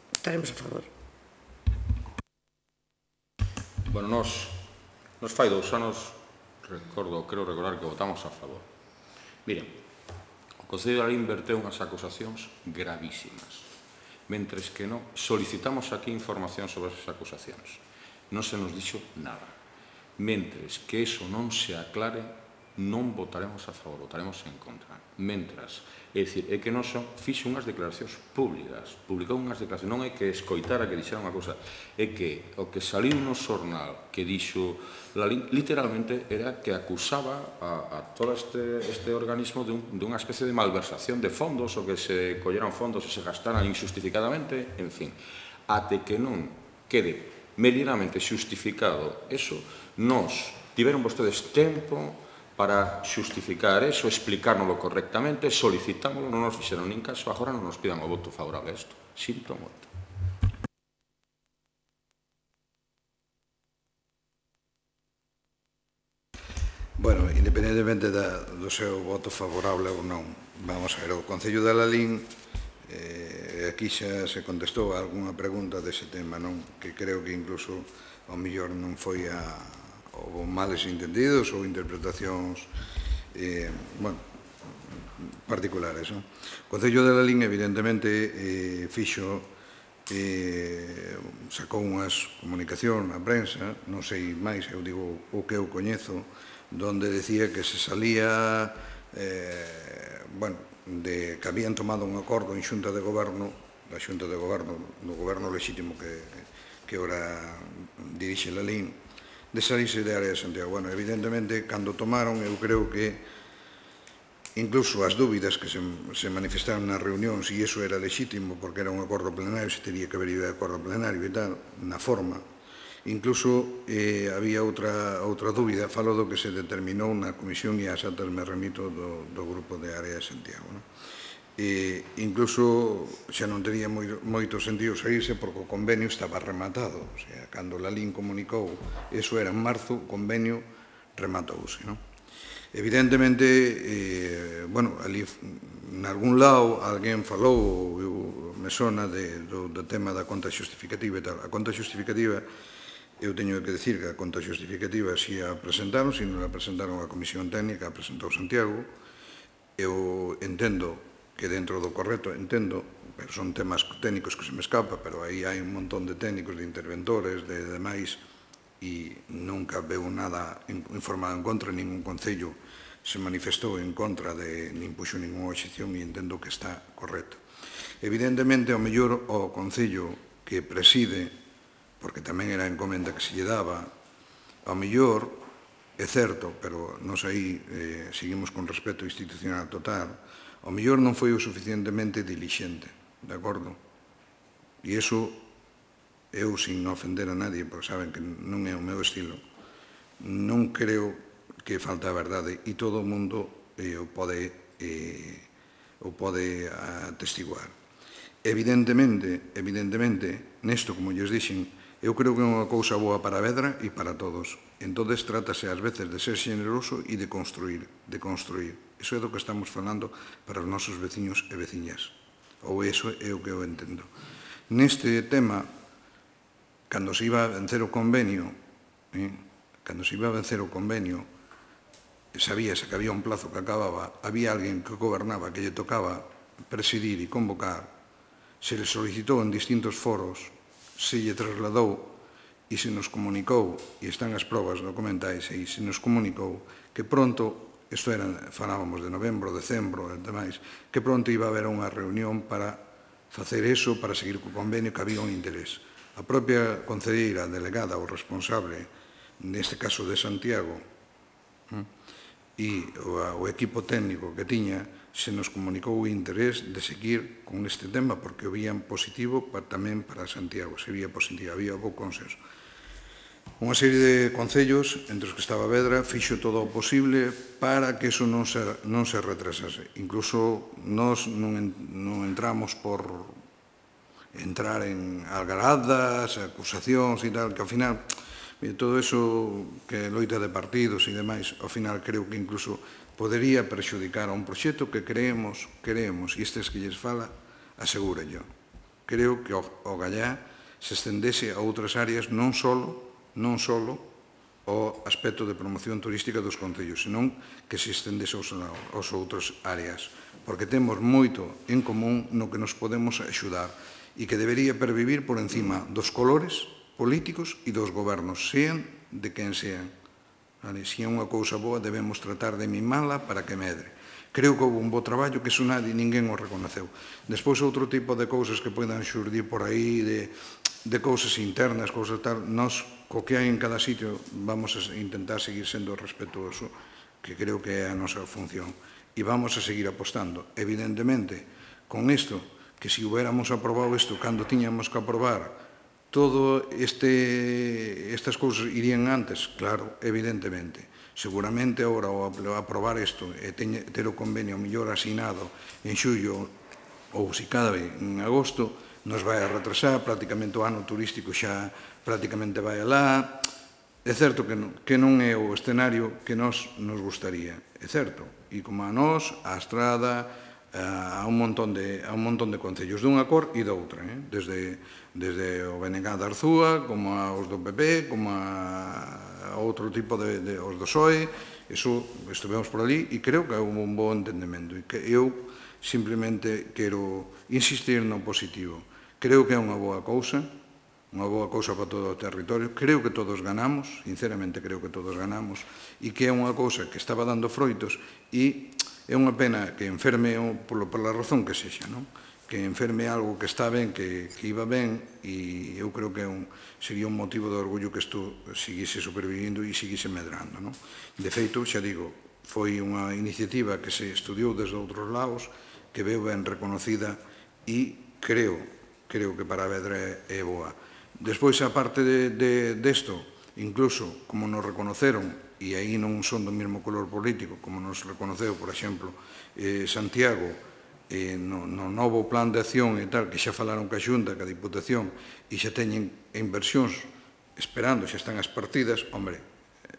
Estaremos a favor. Bueno, nos, nos fai dous anos, recordo, creo recordar que votamos a favor. Miren, o Concello de Lalín verteu unhas acusacións gravísimas. Mentres que non solicitamos aquí información sobre esas acusacións. Non se nos dixo nada. Mentres que eso non se aclare, non votaremos a favor, votaremos en contra. Mentras, é dicir, é que non son, fixo unhas declaracións públicas, publicou unhas declaracións, non é que escoitara que dixera unha cousa, é que o que saliu no xornal que dixo, literalmente era que acusaba a, a todo este, este organismo de, un, de unha especie de malversación de fondos, o que se colleran fondos e se gastaran injustificadamente, en fin, até que non quede medianamente xustificado eso, nos tiveron vostedes tempo para xustificar eso, explicárnoslo correctamente, solicitámoslo, non nos fixeron nin caso, agora non nos pidan o voto favorable a isto. Sinto moito. Bueno, independentemente da, do seu voto favorable ou non, vamos a ver, o Concello de Lalín, eh, aquí xa se contestou a algunha pregunta dese tema, non? Que creo que incluso ao mellor non foi a ou males entendidos ou interpretacións eh, bueno, particulares. Non? O Concello de Lalín, evidentemente, eh, fixo eh, sacou unhas comunicacións na prensa, non sei máis, eu digo o que eu coñezo, donde decía que se salía, eh, bueno, de que habían tomado un acordo en xunta de goberno, da xunta de goberno, do goberno lexítimo que, que ora dirixe la L I N, de salirse de área de Santiago. Bueno, evidentemente, cando tomaron, eu creo que incluso as dúbidas que se, se manifestaron nas reunións, e iso era lexítimo porque era un acordo plenario, se teria que haber ido de acordo plenario e tal, na forma, incluso eh, había outra, outra dúbida, falo do que se determinou na comisión e as atas me remito do, do grupo de área de Santiago. Non? E incluso xa non tería moi, moito sentido saírse porque o convenio estaba rematado, o sea, cando la L I N comunicou, eso era en marzo, o convenio rematouse, non? Evidentemente, eh, bueno, ali, en algún lado, alguén falou, eu, me sona de, do, do tema da conta xustificativa e tal. A conta xustificativa, eu teño que decir que a conta xustificativa si a presentaron, si non a presentaron a Comisión Técnica, a presentou Santiago. Eu entendo que dentro do correcto, entendo, pero son temas técnicos que se me escapa, pero aí hai un montón de técnicos, de interventores, de demais, e nunca veu nada informado en contra, ningún concello se manifestou en contra de, nin puxo ninguna obxección e entendo que está correcto. Evidentemente, ao mellor o concello que preside, porque tamén era a encomenda que se lle daba, ao mellor, é certo, pero nos aí eh, seguimos con respeto institucional total, ao mellor non foi o suficientemente dilixente, de acordo? E iso, eu, sin ofender a nadie, porque saben que non é o meu estilo, non creo que falta a verdade e todo o mundo eh, o pode, eh, o pode atestiguar. Evidentemente, evidentemente, nesto, como lles dixen, eu creo que é unha cousa boa para a Vedra e para todos. Entón, trátase ás veces de ser xeneroso e de construir, de construir. Iso é do que estamos falando para os nosos veciños e veciñas. Ou iso é o que eu entendo. Neste tema, cando se iba a vencer o convenio, eh, cando se iba a vencer o convenio, sabíase que había un plazo que acababa, había alguén que gobernaba, que lle tocaba presidir e convocar, se le solicitou en distintos foros, se lle trasladou e se nos comunicou, e están as probas documentais, e se nos comunicou que pronto, isto era, falábamos de novembro, decembro e demais, que pronto iba a haber unha reunión para facer eso, para seguir co convenio, que había un interés. A propia concelleira delegada ou responsable, neste caso de Santiago, e o equipo técnico que tiña, se nos comunicou o interés de seguir con este tema, porque o vían positivo tamén para Santiago, se vía positivo, había bo consenso. Unha serie de concellos, entre os que estaba Vedra, fixo todo o posible para que iso non se, non se retrasase. Incluso nós non, non entramos por entrar en algaradas, acusacións e tal, que ao final, todo eso que loita de partidos e demais, ao final creo que incluso podería perxudicar a un proxecto que creemos, creemos, e estes que lles fala, asegura yo. Creo que o, o Gallá se estendese a outras áreas non só non só o aspecto de promoción turística dos concellos, senón que se estendese aos, aos outras áreas, porque temos moito en común no que nos podemos axudar e que debería pervivir por encima dos colores políticos e dos gobernos, sean de quen sean. Vale? Se é unha cousa boa, debemos tratar de mimala para que medre. Creo que houve un bo traballo que iso nadie, ninguén o reconoceu. Despois, outro tipo de cousas que poidan xurdir por aí, de, de cousas internas, cousas tal, nós, co que hai en cada sitio, vamos a intentar seguir sendo respetuoso, que creo que é a nosa función. E vamos a seguir apostando. Evidentemente, con isto, que se hubiéramos aprobado isto cando tiñamos que aprobar, todo este, estas cousas irían antes, claro, evidentemente. Seguramente, agora, ao aprobar isto e ter o convenio mellor asinado en xullo ou, se cabe, en agosto, nos vai a retrasar, prácticamente o ano turístico xa prácticamente vai alá. É certo que non, que non é o escenario que nos nos gustaría, é certo. E como a nós, a Estrada, a un montón de, a un montón de concellos dunha cor e doutra, eh? desde, desde o B N G de Arzúa, como aos do P P, como a, a outro tipo de, de os do P S O E, eso estivemos por ali e creo que houve un bo entendemento e que eu simplemente quero insistir no positivo, Creo que é unha boa cousa, unha boa cousa para todo o territorio. Creo que todos ganamos, sinceramente creo que todos ganamos, e que é unha cousa que estaba dando froitos, e é unha pena que enferme pola razón que sexa, non? Que enferme algo que está ben, que, que iba ben, e eu creo que é un, sería un motivo de orgullo que isto seguise supervivindo e seguise medrando, non? De feito, xa digo, foi unha iniciativa que se estudiou desde outros lados, que veu ben reconocida e creo, creo que para Vedra é boa. Despois, a parte de, de, desto, incluso como nos reconoceron, e aí non son do mesmo color político, como nos reconoceu, por exemplo, eh, Santiago, eh, no, no novo plan de acción e tal, que xa falaron ca Xunta, ca Diputación, e xa teñen inversións esperando, xa están as partidas, hombre,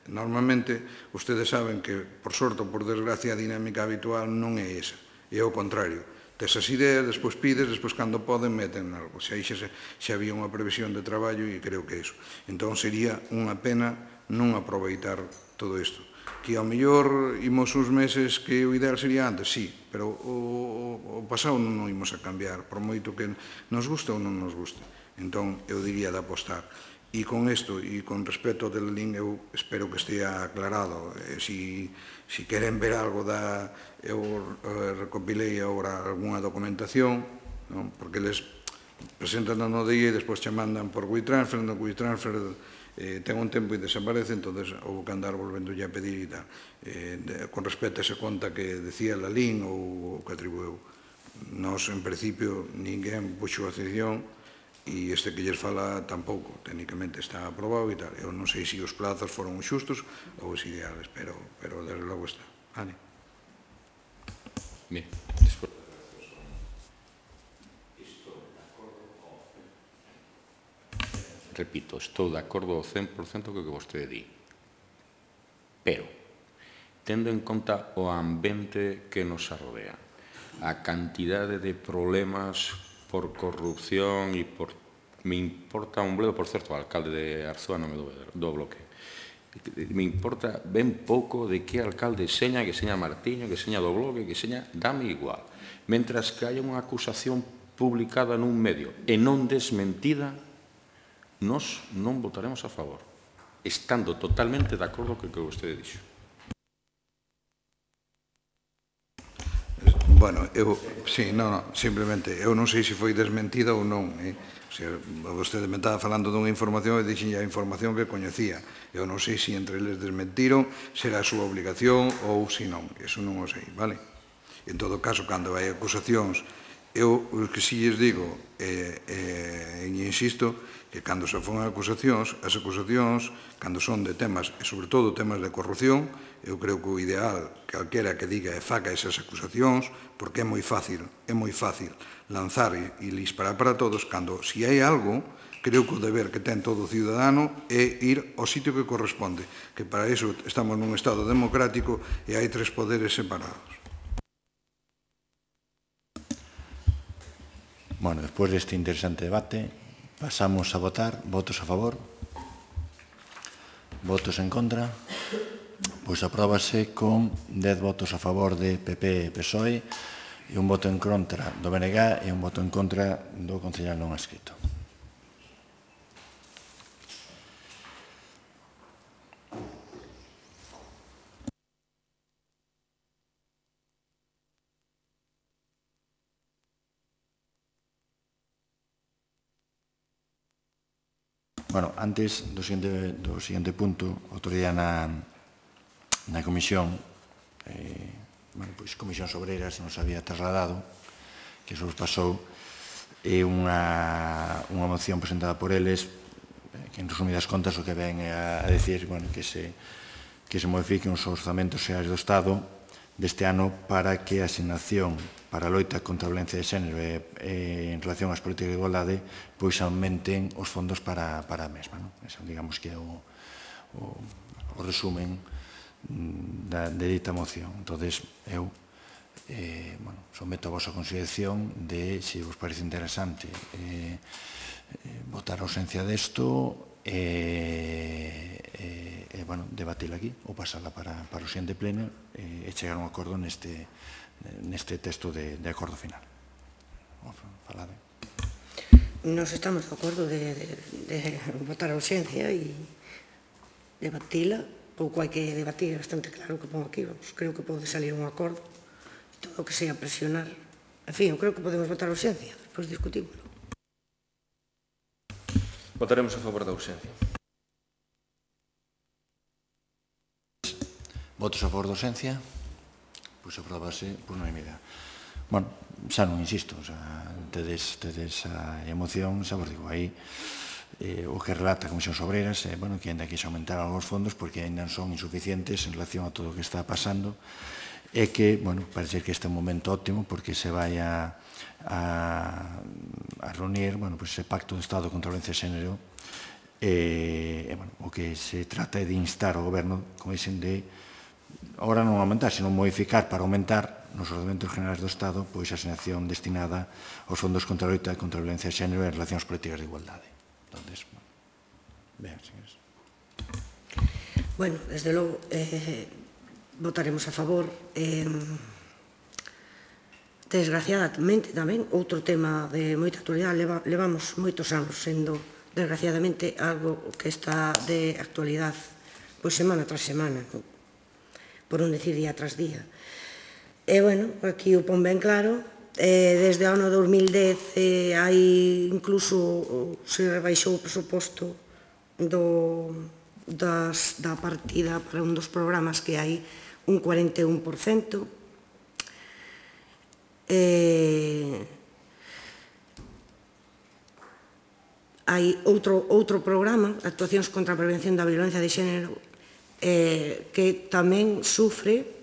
normalmente, ustedes saben que, por sorte ou por desgracia, a dinámica habitual non é esa, é o contrario. Tes as ideas, despois pides, despois cando poden meten algo. Se aí xa, xa había unha previsión de traballo e creo que iso. Entón sería unha pena non aproveitar todo isto. Que ao mellor imos uns meses que o ideal sería antes, sí, pero o, o pasado non o imos a cambiar, por moito que nos guste ou non nos guste. Entón, eu diría de apostar. E con isto, e con respecto ao del link, eu espero que estea aclarado. Eh, si, si queren ver algo da... Eu eh, recopilei agora algunha documentación, non? Porque eles presentan no D I e despois che mandan por WeTransfer, no WeTransfer eh, ten un tempo e desaparece, entonces houve que andar volvendo ya a pedir e tal. Eh, de, con respecto a esa conta que decía Lalín ou que atribueu. Nos, en principio, ninguén puxo a excepción e este que lles fala tampouco, técnicamente está aprobado e tal. Eu non sei se os plazos foron xustos ou os ideales, pero, pero desde logo está. Vale. Bien, despois. Repito, estou de acordo ao cen por cento co que vostede di. Pero, tendo en conta o ambiente que nos arrodea, a cantidade de problemas por corrupción e por... Me importa un bledo, por certo, o alcalde de Arzúa non me do, do bloque. Me importa ben pouco de que alcalde seña, que seña Martiño, que seña do bloque, que seña, dame igual. Mentras que haya unha acusación publicada nun medio e non desmentida, nós non votaremos a favor, estando totalmente de acordo co que vostede dixo. Bueno, eu, sí, non, non, simplemente, eu non sei se foi desmentida ou non, eh? O sea, vostede me estaba falando dunha información e dixen a información que coñecía. Eu non sei se entre eles desmentiron, será a súa obligación ou se non, eso non o sei, vale? En todo caso, cando hai acusacións, eu o que si lles digo, e eh, eh, insisto, que cando se fan acusacións, as acusacións, cando son de temas, e sobre todo temas de corrupción, eu creo que o ideal, calquera que diga e faca esas acusacións, porque é moi fácil, é moi fácil lanzar e, e disparar para todos, cando, si hai algo, creo que o deber que ten todo ciudadano é ir ao sitio que corresponde, que para iso estamos nun Estado democrático e hai tres poderes separados. Bueno, despois deste interesante debate, pasamos a votar. Votos a favor? Votos en contra? Pois apróbase con dez votos a favor de P P e P S O E e un voto en contra do B N G e un voto en contra do concejal non adscrito. Bueno, antes do seguinte, do seguinte punto, outro día na, na comisión, eh, bueno, pois Comisións Obreiras nos había trasladado, que se os pasou, é unha, unha moción presentada por eles, que en resumidas contas o que ven a, a decir, bueno, que se, que se modifiquen os orzamentos xerais do Estado deste ano para que a asignación para a loita contra a violencia de xénero e, e en relación ás políticas de igualdade pois aumenten os fondos para, para a mesma. Non? Ese, digamos que é o, o, o resumen da, de dita moción. Entón, eu eh, bueno, someto a vosa consideración de se vos parece interesante eh, eh, votar a ausencia desto e eh, eh, bueno, debatila aquí ou pasarla para, para o siguiente pleno eh, e chegar a un acordo neste, neste texto de, de acordo final. Falade. nos estamos de acordo de, de, de votar a urxencia e debatila. Pouco hai que debatir, bastante claro que pongo aquí, vamos, creo que pode salir un acordo, todo o que sea presionar. En fin, eu creo que podemos votar a urxencia, despois discutimos. Votaremos a favor da urxencia. Votos a favor da urxencia? Pois aprobase por unanimidade. Bueno, xa non insisto, xa tedes, tedes a emoción, xa vos digo, aí eh, o que relata a Comisión Obreiras, eh, bueno, que ainda que se aumentaran os fondos porque ainda son insuficientes en relación a todo o que está pasando, e que, bueno, parece que este é un momento óptimo porque se vai a, a, a reunir, bueno, pues ese pacto do Estado contra a violencia de xénero e, e, bueno, o que se trata é de instar ao goberno, como dicen, de agora non aumentar, sino modificar para aumentar nos ordenamentos generais do Estado pois a asignación destinada aos fondos contra a loita contra a violencia de xénero en relación ás políticas de igualdade. Entonces, bueno, vean, señores. Bueno, desde logo, eh, votaremos a favor. Eh, desgraciadamente tamén, outro tema de moita actualidade, leva, levamos moitos anos sendo, desgraciadamente, algo que está de actualidade pois semana tras semana, por non decir día tras día. E, bueno, aquí o pon ben claro, eh, desde o ano dos mil dez eh, hai incluso se rebaixou o presuposto do, das, da partida para un dos programas que hai un cuarenta e un por cento. Eh, hai outro, outro programa, Actuacións contra a Prevención da Violencia de Xénero, eh, que tamén sufre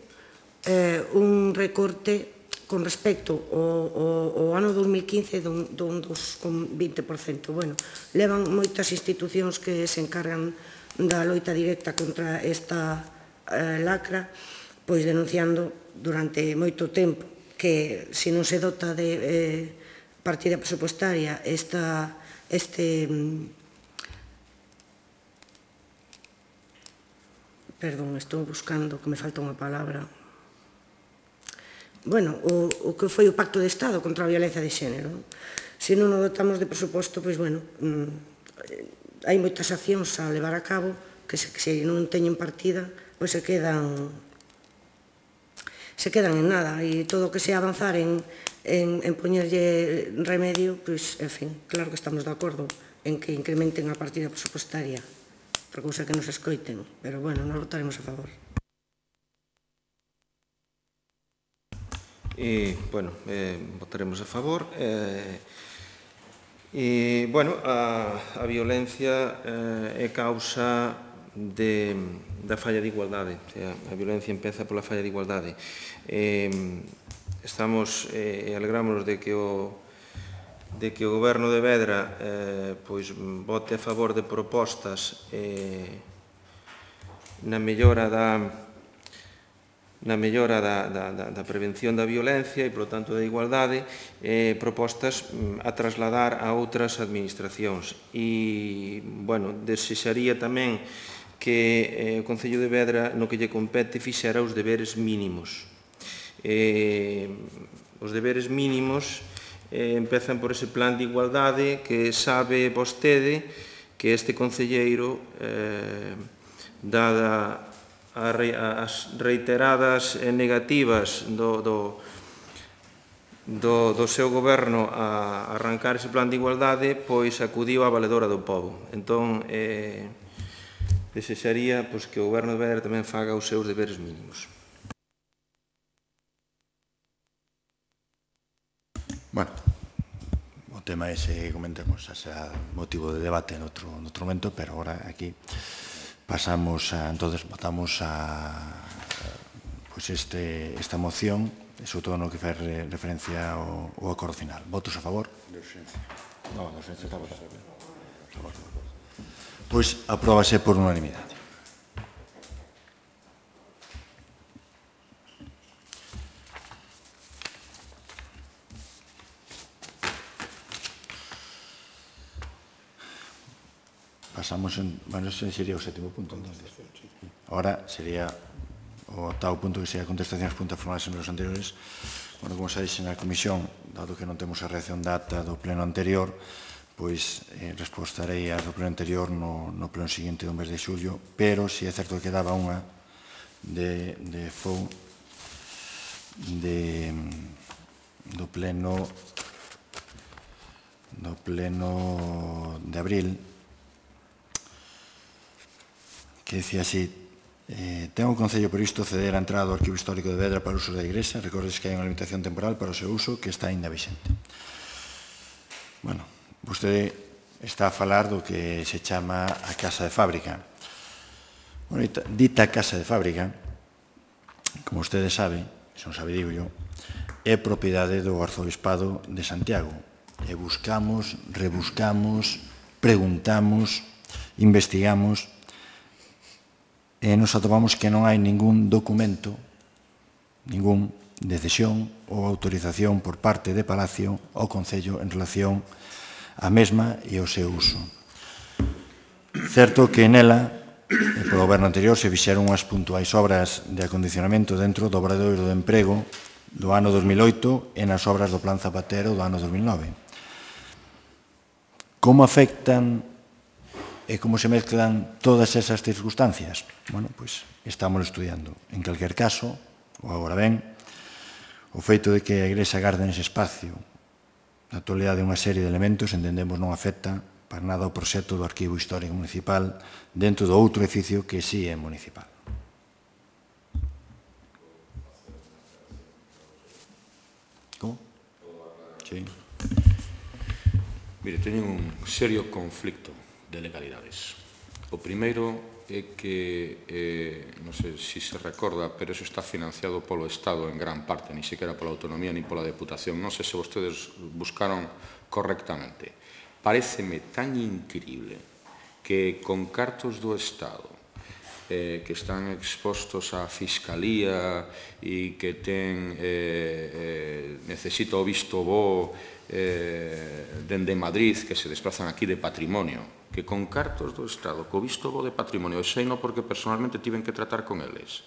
eh, un recorte con respecto ao, ao, ao ano dos mil quince dun, dun dos con vinte por cento. Bueno, levan moitas institucións que se encargan da loita directa contra esta eh, lacra, pois denunciando durante moito tempo que se non se dota de eh, partida presupuestaria esta, este perdón, estou buscando que me falta unha palabra. Bueno, o, o que foi o Pacto de Estado contra a violencia de xénero. Se non o dotamos de presuposto, pois, bueno, mm, hai moitas accións a levar a cabo que se, que se non teñen partida, pois se quedan se quedan en nada, e todo o que sea avanzar en, en, en poñerlle remedio, pois, en fin, claro que estamos de acordo en que incrementen a partida presupostaria, por cousa que nos escoiten, pero, bueno, nos votaremos a favor. E, bueno, eh, votaremos a favor. Eh, e, bueno, a, a violencia eh, é causa de, da falla de igualdade. O sea, a violencia empeza pola falla de igualdade. Eh, estamos, eh, alegrámonos de que o de que o Goberno de Vedra eh, pois, vote a favor de propostas eh, na mellora da na mellora da, da, da prevención da violencia e, polo tanto, da igualdade, eh, propostas a trasladar a outras administracións. E, bueno, desexaría tamén que eh, o Concello de Vedra, no que lle compete, fixera os deberes mínimos. Eh, os deberes mínimos eh, empezan por ese plan de igualdade que sabe vostede que este concelleiro, eh, dada as reiteradas negativas do, do, do, do seu goberno a arrancar ese plan de igualdade, pois acudiu á valedora do povo. Entón, eh, desexaría pois, que o Goberno de Vedra tamén faga os seus deberes mínimos. Bueno, o tema ese que comentemos xa será motivo de debate en outro, en outro momento, pero agora aquí pasamos a, entonces votamos a pues este, esta moción, sobre todo no que fai referencia ao, ao acordo final. Votos a favor? De urxencia. No, de urxencia está votado. Pois apróbase por unanimidade. Pasamos en, bueno, ese sería o sétimo punto, entonces. Ahora sería o octavo punto, que sería contestacións puntas formales en los anteriores. Bueno, como xa dixe na comisión, dado que non temos a reacción data do pleno anterior, pois eh, respostarei a do pleno anterior no, no pleno seguinte do mes de xullo, pero si é certo que quedaba unha de, de fou de, do pleno do pleno de abril que decía así: eh, ten o Concello previsto ceder a entrada do Arquivo Histórico de Vedra para uso da Igrexa. Recordes que hai unha limitación temporal para o seu uso que está ainda vixente. Bueno, vostede está a falar do que se chama a Casa de Fábrica. Bueno, dita Casa de Fábrica, como vostede sabe, se non sabe digo yo, é propiedade do Arzobispado de Santiago. E buscamos, rebuscamos, preguntamos, investigamos, e nos atopamos que non hai ningún documento, ningún de cesión ou autorización por parte de Palacio ao Concello en relación á mesma e ao seu uso. Certo que nela, polo goberno anterior, se fixeron unhas puntuais obras de acondicionamento dentro do obradoiro de emprego do ano dos mil oito e nas obras do Plan Zapatero do ano dos mil nove. Como afectan e como se mezclan todas esas circunstancias? Bueno, pois estamos estudiando. En calquer caso, ou agora ben, o feito de que a Igrexa garde nese espacio na actualidade unha serie de elementos entendemos non afecta para nada o proxecto do Arquivo Histórico Municipal dentro do outro edificio que sí é municipal. Como? Sí. Mire, teñen un serio conflicto de legalidades. O primeiro é que, eh, non sei se se recorda, pero eso está financiado polo Estado en gran parte, ni sequera pola autonomía ni pola Deputación. Non sei se vostedes buscaron correctamente. Paréceme tan increíble que con cartos do Estado eh, que están expostos á Fiscalía e que ten eh, eh, necesita o visto bo eh, dende Madrid, que se desplazan aquí de patrimonio, que con cartos do Estado, co visto bo de patrimonio, e sei non porque personalmente tiven que tratar con eles,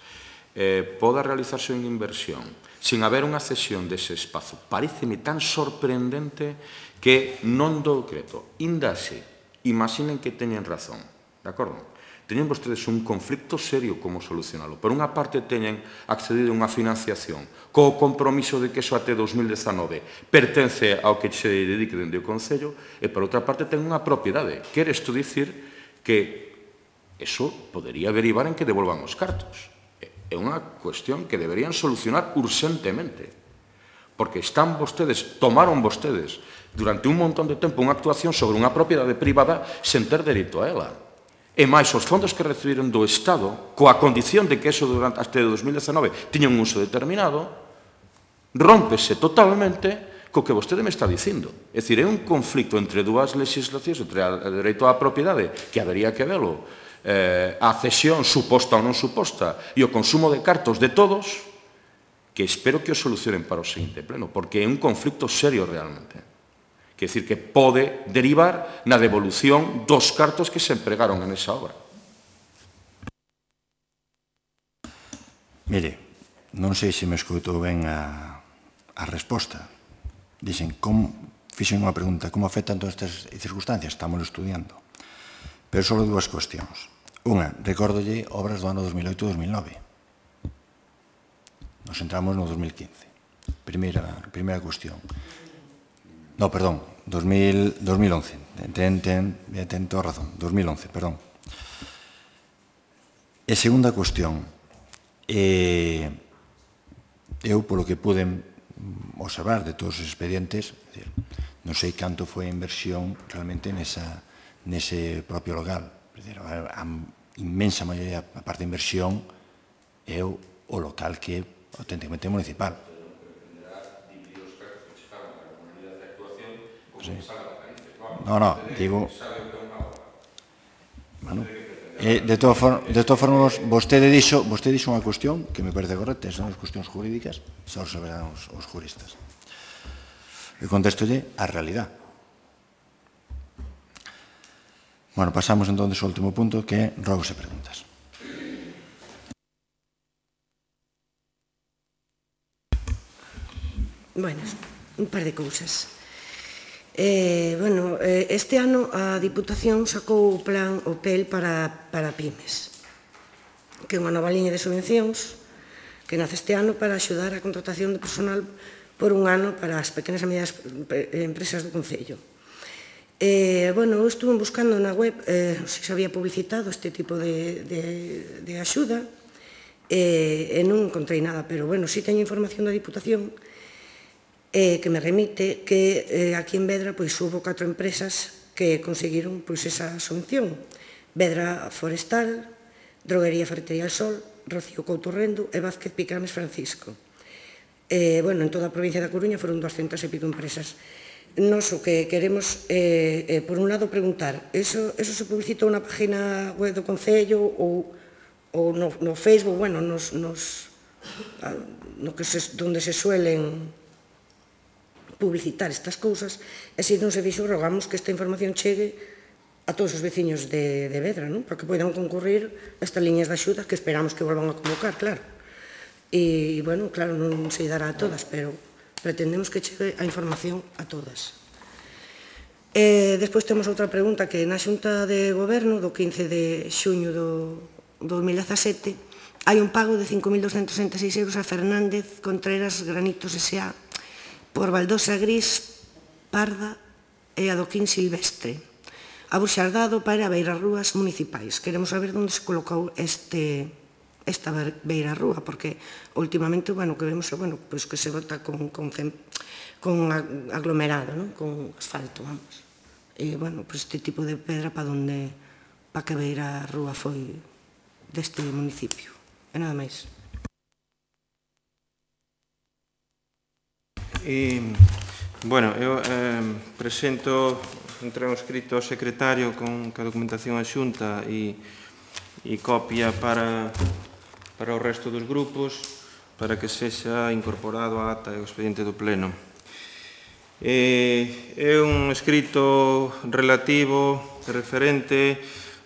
eh, poda realizarse unha inversión sin haber unha cesión dese espazo. Paréceme tan sorprendente que non do decreto. Indase, imaginen que teñen razón, de acordo? Teñen vostedes un conflicto serio como solucionalo. Por unha parte, teñen accedido a unha financiación co compromiso de que eso até dos mil dezanove pertence ao que se dedique dende o Concello, e por outra parte, ten unha propiedade. Quere isto dicir que eso podería derivar en que devolvan os cartos. É unha cuestión que deberían solucionar urxentemente, porque están vostedes, tomaron vostedes durante un montón de tempo unha actuación sobre unha propiedade privada sen ter dereito a ela. E máis os fondos que recibiron do Estado, coa condición de que eso durante até dos mil dezanove tiña un uso determinado, rómpese totalmente co que vostede me está dicindo. É dicir, é un conflicto entre dúas legislacións, entre o dereito á propiedade, que habería que velo, eh, a cesión suposta ou non suposta, e o consumo de cartos de todos, que espero que o solucionen para o seguinte pleno, porque é un conflicto serio realmente. Quer dicir, que pode derivar na devolución dos cartos que se empregaron en esa obra. Mire, non sei se me escoitou ben a, a resposta. Dixen, como, fixen unha pregunta, como afectan todas estas circunstancias? Estamos estudiando. Pero sobre dúas cuestións. Unha, recórdolle obras do ano dos mil oito e dos mil nove. Nos entramos no dos mil quince. Primeira, primeira cuestión. No, perdón, dos mil once. Ten, ten, ten toda razón, dos mil once, perdón. E segunda cuestión, eh, eu, polo que pude observar de todos os expedientes, non sei canto foi a inversión realmente nesa, nese propio local. A inmensa maioría, a parte de inversión, é o local que é auténticamente municipal. Sí. No, no, digo... Bueno, eh, de todas formas, de todas formas, vostede dixo, vostede dixo unha cuestión que me parece correcta, son as cuestións jurídicas, só saberán os, os juristas. E contestolle a realidad. Bueno, pasamos entón ao último punto, que é rogos e preguntas. Bueno, un par de cousas. Eh, bueno, eh, este ano a Diputación sacou o plan O P E L para, para pymes, que é unha nova liña de subvencións que nace este ano para axudar a contratación de personal por un ano para as pequenas e medianas empresas do Concello. Eh, bueno, eu estuve buscando na web eh, se se había publicitado este tipo de, de, de axuda eh, e non encontrei nada, pero bueno, si teño información da Diputación eh, que me remite que eh, aquí en Vedra pois hubo catro empresas que conseguiron pois esa subvención. Vedra Forestal, Droguería Ferretería El Sol, Rocío Couto Rendo e Vázquez Picames Francisco. Eh, bueno, en toda a provincia da Coruña foron doscientas e pico empresas. Nos o que queremos, eh, eh, por un lado, preguntar, eso, eso se publicitou na página web do Concello ou, ou no, no Facebook, bueno, nos, nos, no que se, donde se suelen publicitar estas cousas, e se non se fixo, rogamos que esta información chegue a todos os veciños de, de Vedra, non? Para que poidan concurrir estas liñas de axuda que esperamos que volvan a convocar, claro. E, bueno, claro, non se dará a todas, pero pretendemos que chegue a información a todas. Eh, despois temos outra pregunta que na Xunta de Goberno do quince de xuño do dos mil dezasete hai un pago de cinco mil doscentos sesenta e seis euros a Fernández Contreras Granitos S A por baldosa gris, parda e adoquín silvestre, abuxardado para beirarrúas municipais. Queremos saber onde se colocou este, esta beirarrúa, porque últimamente, bueno, que vemos, bueno, pues que se bota con, con, con aglomerado, ¿no? Con asfalto, vamos. E, bueno, pues este tipo de pedra para onde, para que beirarrúa foi deste municipio. E nada máis. E, bueno, eu eh, presento entrei un escrito ao secretario con a documentación a xunta e, e copia para, para o resto dos grupos para que sexa incorporado á ata e ao expediente do pleno. E, é un escrito relativo, referente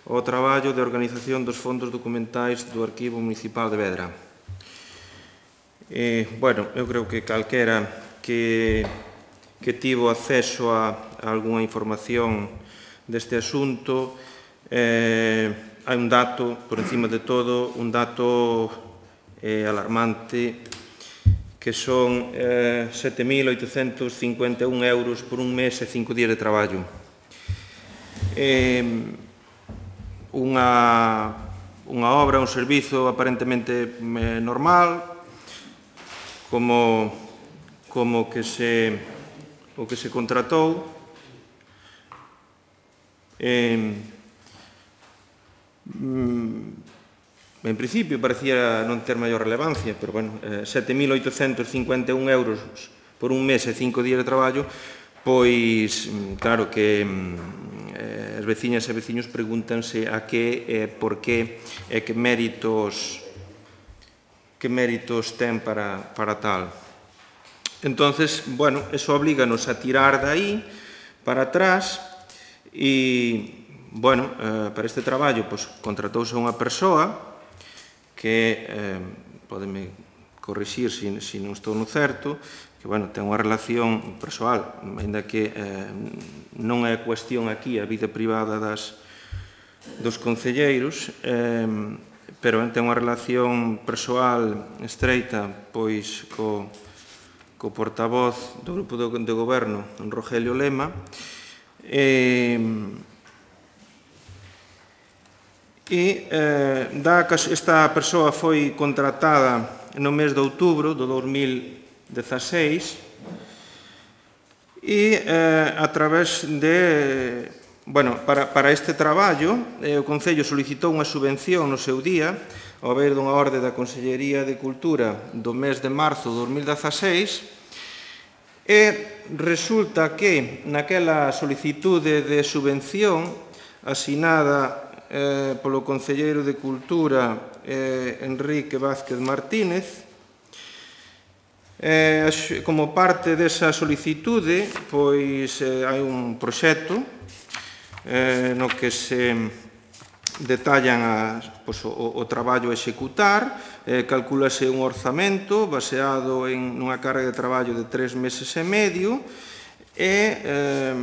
ao traballo de organización dos fondos documentais do Arquivo Municipal de Vedra. E, bueno, eu creo que calquera que, que tivo acceso a, a algunha información deste asunto, eh, hai un dato, por encima de todo, un dato eh, alarmante, que son eh, sete mil oitocentos cincuenta e un euros por un mes e cinco días de traballo. Eh, unha, unha obra, un servizo aparentemente eh, normal, como como que se o que se contratou, eh, en principio parecía non ter maior relevancia, pero bueno, eh, sete mil oitocentos cincuenta e un euros por un mes e cinco días de traballo, pois claro que eh, as veciñas e veciños pregúntanse a que, eh, por que, e que méritos que méritos ten para, para tal. Entonces, bueno, eso oblíganos a tirar de aí para atrás e, bueno, eh, para este traballo, pues, contratouse unha persoa que, eh, podeme corrixir se si, si non estou no certo, que, bueno, ten unha relación persoal, ainda que eh, non é cuestión aquí a vida privada das, dos concelleiros, eh, pero ten unha relación persoal estreita, pois, co co portavoz do Grupo de Goberno, Rogelio Lema, e, e eh, da, esta persoa foi contratada no mes de outubro do dos mil dezaseis e eh, a través de, bueno, para, para este traballo, eh, o Concello solicitou unha subvención no seu día, ao ver dunha orde da Consellería de Cultura do mes de marzo de dos mil dezaseis, e resulta que naquela solicitude de subvención asinada eh, polo Concelleiro de Cultura eh, Enrique Vázquez Martínez, eh, como parte desa solicitude, pois eh, hai un proxecto eh, no que se detallan a, pues, o, o traballo a executar, eh, calculase un orzamento baseado en unha carga de traballo de tres meses e medio e, eh,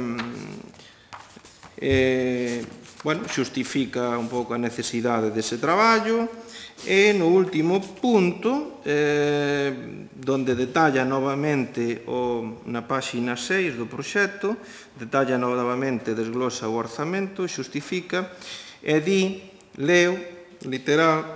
eh, bueno, xustifica un pouco a necesidade dese traballo, e no último punto, eh, donde detalla novamente o, na páxina seis do proxecto, detalla novamente, desglosa o orzamento, xustifica, e di, leo, literal,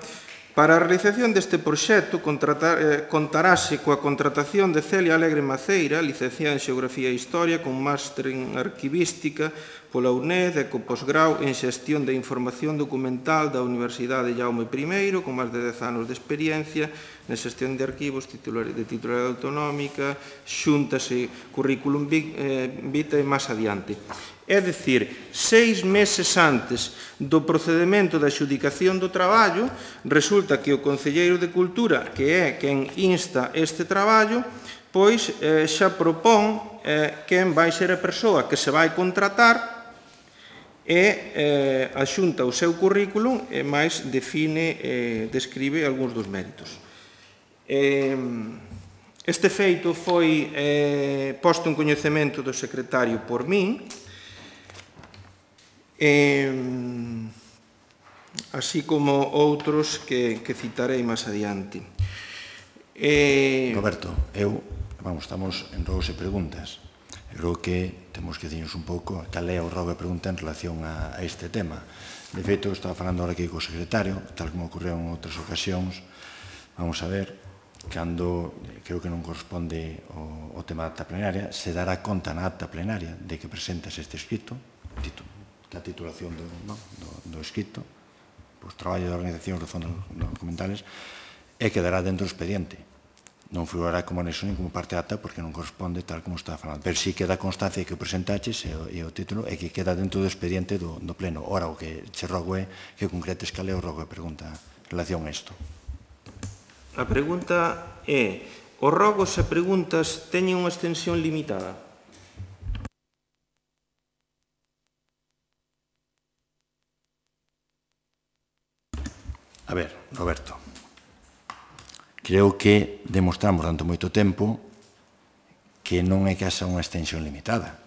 para a realización deste proxecto eh, contarase coa contratación de Celia Alegre Maceira, licenciada en Xeografía e Historia, con máster en Arquivística pola U N E D e co posgrau en Xestión de Información Documental da Universidade Jaume primeiro, con máis de dez anos de experiencia na xestión de arquivos, de titularidade autonómica, xúntase currículum vitae e máis adiante. É dicir, seis meses antes do procedimento de adxudicación do traballo, resulta que o Concelleiro de Cultura, que é quen insta este traballo, pois eh, xa propón eh, quen vai ser a persoa que se vai contratar e eh, axunta o seu currículum e máis define, eh, describe algúns dos méritos. Eh, este feito foi eh, posto en coñecemento do secretario por min, Eh, así como outros que, que citarei máis adiante. Eh... Roberto, eu, vamos, estamos en rogos e preguntas. Eu creo que temos que dicirnos un pouco cal é o rogo e pregunta en relación a, a este tema. De feito, estaba falando ahora aquí co secretario, tal como ocorreu en outras ocasións. Vamos a ver, cando, creo que non corresponde o, o tema da acta plenaria, se dará conta na acta plenaria de que presentas este escrito, título, a titulación do, no, do, do escrito, pois traballo de organizacións de fondos documentales, e quedará dentro do expediente. Non figurará como anexo nin como parte acta porque non corresponde tal como está falando. Pero sí queda constancia que o presentaches e o, e o título e que queda dentro do expediente do, do pleno. Ora, o que che rogo é que concretes cal é o rogo e pregunta en relación a isto. A pregunta é: os rogos e preguntas teñen unha extensión limitada? A ver, Roberto, creo que demostramos durante moito tempo que non é que haxa unha extensión limitada,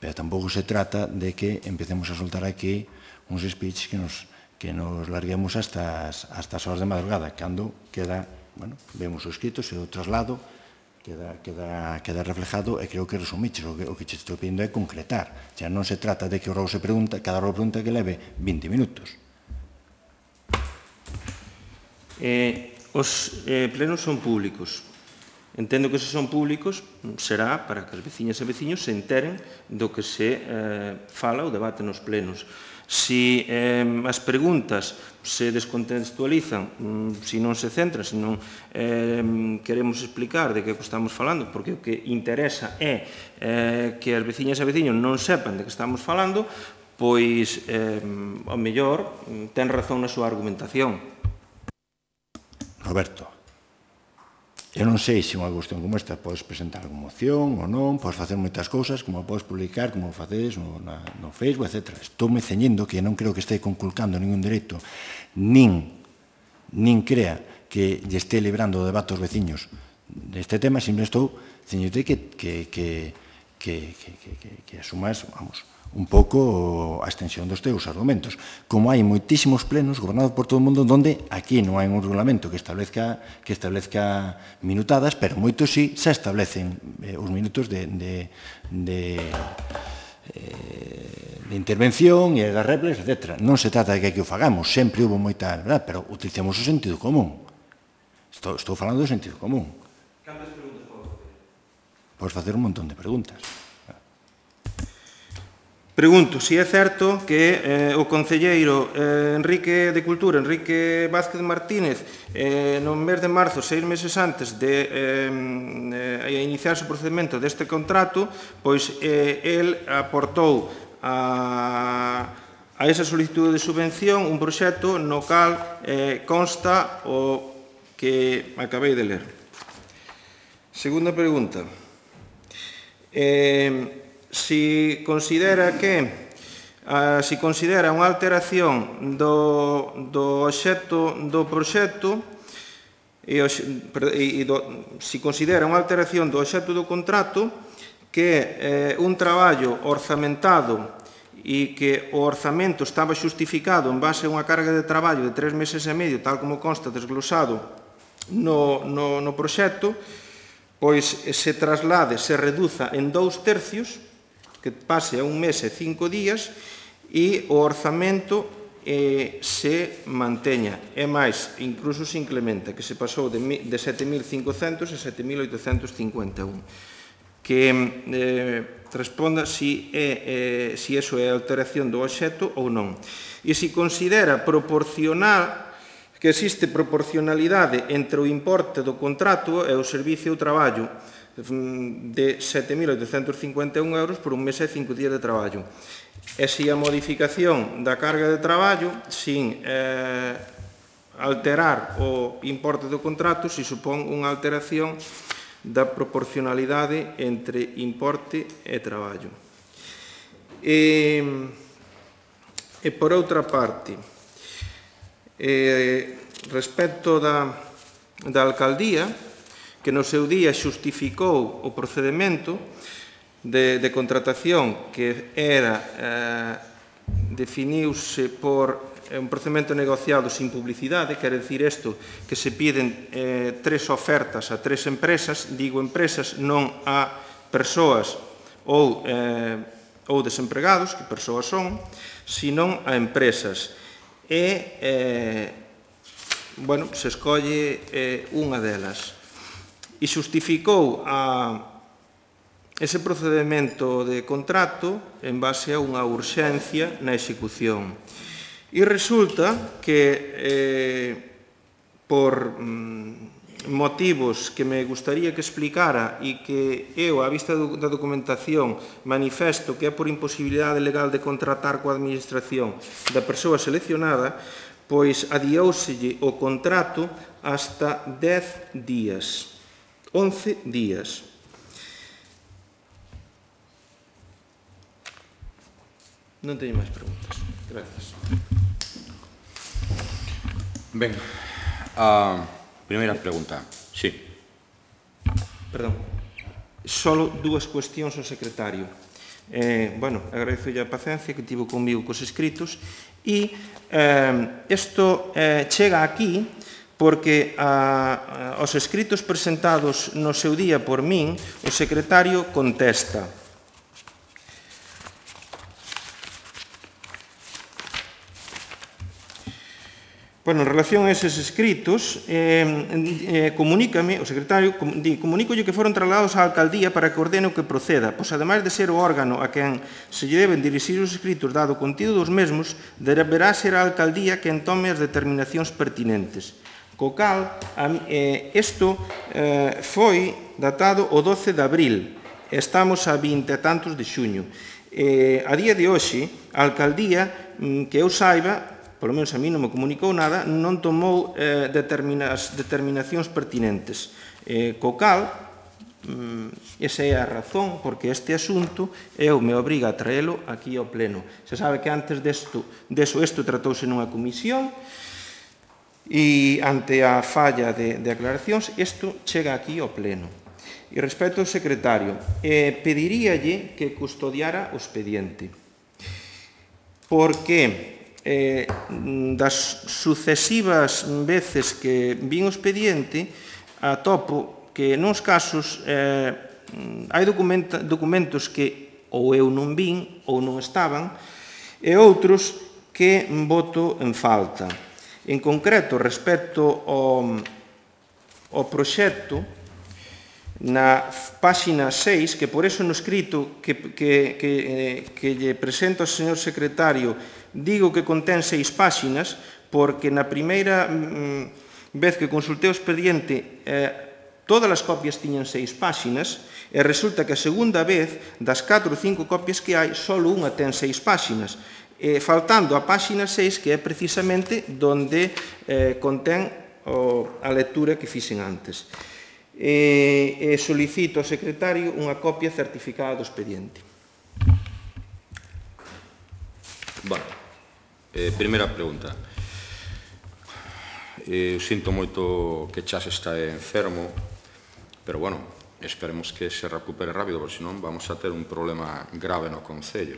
pero tampouco se trata de que empecemos a soltar aquí uns speech que nos, que nos larguemos hasta as, hasta as horas de madrugada, cando queda, bueno, vemos o escrito, se o traslado, queda, queda, queda reflejado e creo que resumiches, o que, o que te estou pedindo é concretar. Xa non se trata de que o rogo se pregunta, cada rogo pregunta que leve vinte minutos. Eh, os eh, plenos son públicos. Entendo que se son públicos será para que as veciñas e veciños se enteren do que se eh, fala ou debate nos plenos. Si eh, as preguntas se descontextualizan, mm, si non se centran, se non eh, queremos explicar de que estamos falando, porque o que interesa é eh, que as veciñas e veciños non sepan de que estamos falando, pois, eh, ao mellor, ten razón na súa argumentación. Roberto, eu non sei se unha cuestión como esta podes presentar como moción ou non, podes facer moitas cousas, como podes publicar, como facedes no, na, no Facebook, etcétera. Estou me ceñindo que non creo que este conculcando ningún dereito, nin, nin crea que lle este librando o debate aos veciños deste tema, sempre estou ceñindo que, que, que, que, que, que, que, que asumas, vamos, un pouco a extensión dos teus argumentos. Como hai moitísimos plenos gobernados por todo o mundo onde aquí non hai un regulamento que establezca, que establezca minutadas, pero moitos sí se establecen eh, os minutos de, de, de, eh, de intervención e das réplicas, etcétera. Non se trata de que aquí o fagamos, sempre hubo moita, verdad, pero utilicemos o sentido común. Estou, estou falando do sentido común. Cantas preguntas podes facer? Podes facer un montón de preguntas. Pregunto se é certo que eh, o concelleiro eh, Enrique de Cultura, Enrique Vázquez Martínez, eh, no mes de marzo, seis meses antes de eh, eh, iniciarse o procedimento deste contrato, pois eh, el aportou a, a esa solicitude de subvención un proxecto no cal eh, consta o que acabei de ler. Segunda pregunta. Eh, si considera que uh, si considera unha alteración do, do obxecto do proxecto e, e do, si considera unha alteración do obxecto do contrato que eh, un traballo orzamentado e que o orzamento estaba xustificado en base a unha carga de traballo de tres meses e medio, tal como consta desglosado no, no, no proxecto, pois se traslade, se reduza en dous tercios, que pase a un mes e cinco días, e o orzamento eh, se manteña. É máis, incluso se incrementa, que se pasou de, de sete mil cincocentos a sete mil oitocentos cincuenta e un. Que eh, responda si, é, eh, si eso é alteración do obxecto ou non. E se considera proporcional, que existe proporcionalidade entre o importe do contrato e o servicio ou traballo de sete mil oitocentos cincuenta e un euros por un mes e cinco días de traballo. E se a modificación da carga de traballo, sin eh, alterar o importe do contrato, se supón unha alteración da proporcionalidade entre importe e traballo. E, e por outra parte, eh, respecto da, da alcaldía, que no seu día xustificou o procedimento de, de contratación que era, eh, definiuse por un procedimento negociado sin publicidade, quere dicir isto, que se piden eh, tres ofertas a tres empresas, digo empresas, non a persoas ou, eh, ou desempregados, que persoas son, senón a empresas. E, eh, bueno, se escolle eh, unha delas. E xustificou a ese procedimento de contrato en base a unha urxencia na execución. E resulta que, eh, por mm, motivos que me gustaría que explicara e que eu, á vista do, da documentación, manifesto que é por imposibilidade legal de contratar coa administración da persoa seleccionada, pois adiouselle o contrato hasta dez días, once días. Non teño máis preguntas. Gracias. Ben, a primeira pregunta. Sí. Perdón. Solo dúas cuestións ao secretario. Eh, bueno, agradezo a paciencia que tivo comigo cos escritos e eh, isto eh, chega aquí porque a, a, aos escritos presentados no seu día por min, o secretario contesta. Bueno, en relación a eses escritos, eh, eh, comunícame, o secretario, com, di, comunícolle que foron trasladados á alcaldía para que ordene o que proceda, pois ademais de ser o órgano a quen se lle deben dirixir os escritos dado o contido dos mesmos, deberá ser a alcaldía quen tome as determinacións pertinentes. Co cal, eh, isto eh, foi datado o doce de abril, estamos a vinte e tantos de xuño. Eh, a día de hoxe, a alcaldía, que eu saiba, polo menos a mí non me comunicou nada, non tomou eh, determinas, determinacións pertinentes. Eh, co cal, mm, esa é a razón porque este asunto eu me obriga a traelo aquí ao pleno. Se sabe que antes desto, deso isto tratouse nunha comisión e ante a falla de, de aclaracións, isto chega aquí ao pleno. E respecto ao secretario, eh, pediríalle que custodiara o expediente. Porque Eh, das sucesivas veces que vin o expediente, atopo que nos casos eh, hai documenta, documentos que ou eu non vin ou non estaban e outros que voto en falta. En concreto, respecto ao, ao proxecto, na páxina seis, que por eso no escrito que, que, que, que lle presento ao señor secretario digo que contén seis páxinas, porque na primeira mm, vez que consultei o expediente eh, todas as copias tiñan seis páxinas e resulta que a segunda vez das catro ou cinco copias que hai só unha ten seis páxinas, eh, faltando a páxina seis que é precisamente donde eh, contén o, a lectura que fixen antes. E, e solicito ao secretario unha copia certificada do expediente. Bueno, eh, primeira pregunta. Eh, eu sinto moito que Chas está enfermo, pero, bueno, esperemos que se recupere rápido, porque senón vamos a ter un problema grave no Concello.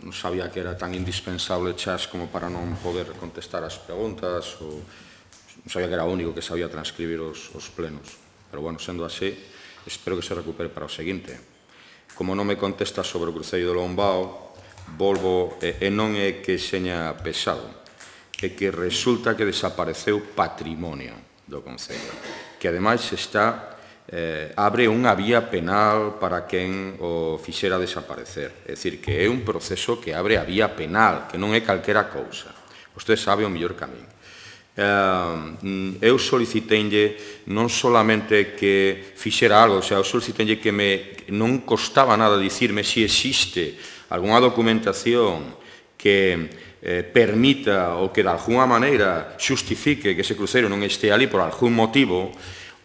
Non sabía que era tan indispensable Chas como para non poder contestar as preguntas, ou non sabía que era o único que sabía transcribir os, os plenos. Pero, bueno, sendo así, espero que se recupere para o seguinte. Como non me contesta sobre o Cruceiro do Lombao, volvo, e, e non é que seña pesado, é que resulta que desapareceu patrimonio do Concello, que ademais está, eh, abre unha vía penal para quen o fixera desaparecer. É dicir, que é un proceso que abre a vía penal, que non é calquera cousa. Vostede sabe o mellor camiño. Uh, eu soliciteinlle non solamente que fixera algo, o sea, eu soliciteinlle que me non costaba nada dicirme se existe algunha documentación que eh, permita ou que de alguna maneira xustifique que ese cruceiro non este ali por algún motivo,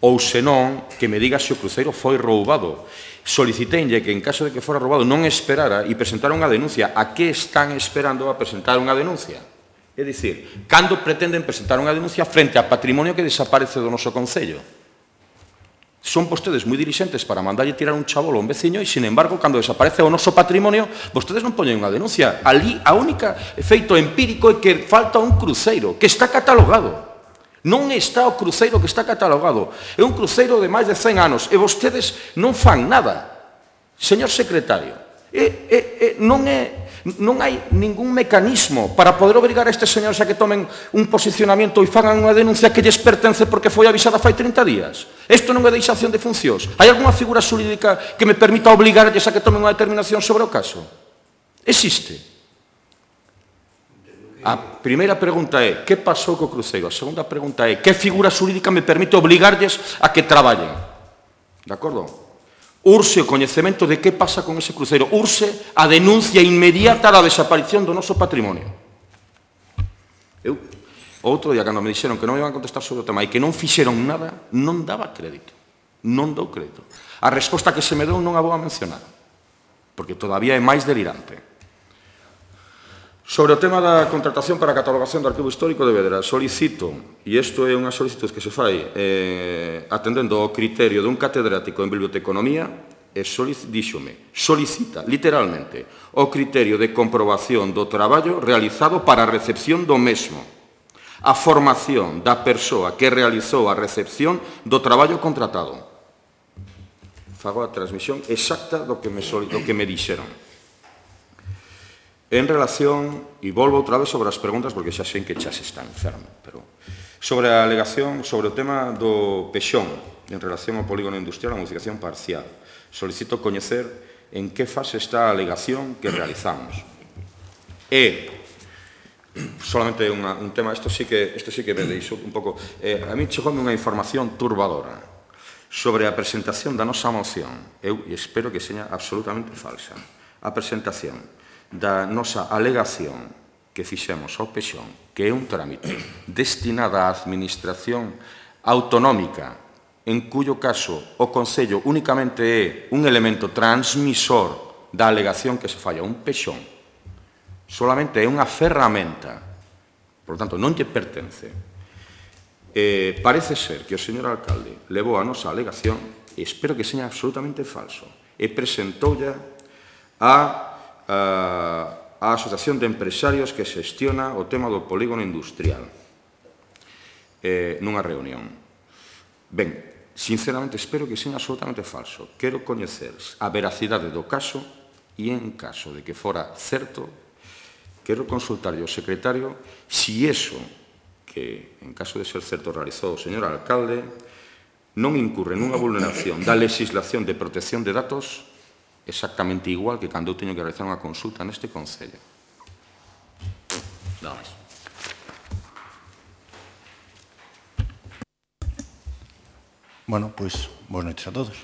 ou senón que me diga se o cruceiro foi roubado. Soliciteinlle que en caso de que fora roubado non esperara e presentara unha denuncia. A que están esperando a presentar unha denuncia? É dicir, cando pretenden presentar unha denuncia frente a patrimonio que desaparece do noso Concello? Son vostedes moi dirixentes para mandarlle tirar un chabolo a un veciño e, sin embargo, cando desaparece o noso patrimonio, vostedes non poñen unha denuncia. Ali, a única efeito empírico é que falta un cruceiro que está catalogado. Non está o cruceiro que está catalogado. É un cruceiro de máis de cen anos e vostedes non fan nada. Señor secretario, é, é, é, non é... Non hai ningún mecanismo para poder obrigar a estes señores a que tomen un posicionamento e fagan unha denuncia que lles pertence porque foi avisada fai trinta días. Isto non é deixación de funcións. Hai algunha figura xurídica que me permita obligarlles a que tomen unha determinación sobre o caso? Existe. A primeira pregunta é, que pasou co cruceiro? A segunda pregunta é, que figura xurídica me permite obligarlles a que traballen? De acordo? Urse o coñecemento de que pasa con ese cruceiro. Urse a denuncia inmediata da desaparición do noso patrimonio. Eu, outro día, cando me dixeron que non me iban a contestar sobre o tema e que non fixeron nada, non daba crédito. Non dou crédito. A resposta que se me deu non a vou a mencionar, porque todavía é máis delirante. Sobre o tema da contratación para a catalogación do arquivo histórico de Vedra, solicito, e isto é unha solicitud que se fai eh, atendendo ao criterio dun catedrático en biblioteconomía, e solic, díxome, solicita, literalmente, o criterio de comprobación do traballo realizado para a recepción do mesmo, a formación da persoa que realizou a recepción do traballo contratado. Fago a transmisión exacta do que me, do que me dixeron. En relación, e volvo outra vez sobre as preguntas, porque xa sei que xa se está enfermo, pero sobre a alegación, sobre o tema do pexón, en relación ao polígono industrial, a modificación parcial, solicito coñecer en que fase está a alegación que realizamos. E, solamente unha, un tema, isto sí que, isto sí que me deixo un pouco, eh, a mí chegoume unha información turbadora sobre a presentación da nosa moción. Eu espero que seña absolutamente falsa. A presentación da nosa alegación que fixemos ao pexón, que é un trámite destinada á administración autonómica, en cuyo caso o Concello únicamente é un elemento transmisor da alegación que se falla. Un pexón solamente é unha ferramenta, por lo tanto, non lle pertence. Eh, parece ser que o señor alcalde levou a nosa alegación, e espero que seña absolutamente falso, e presentoulla a a Asociación de Empresarios que xestiona o tema do polígono industrial eh, nunha reunión. Ben, sinceramente, espero que seja absolutamente falso. Quero coñecer a veracidade do caso e, en caso de que fora certo, quero consultarlle ao secretario si eso que, en caso de ser certo, realizou o señor alcalde non incurre nunha vulneración da legislación de protección de datos exactamente igual que cando eu teño que realizar unha consulta neste Concello. Nada máis. Bueno, pois, boas noites a todos.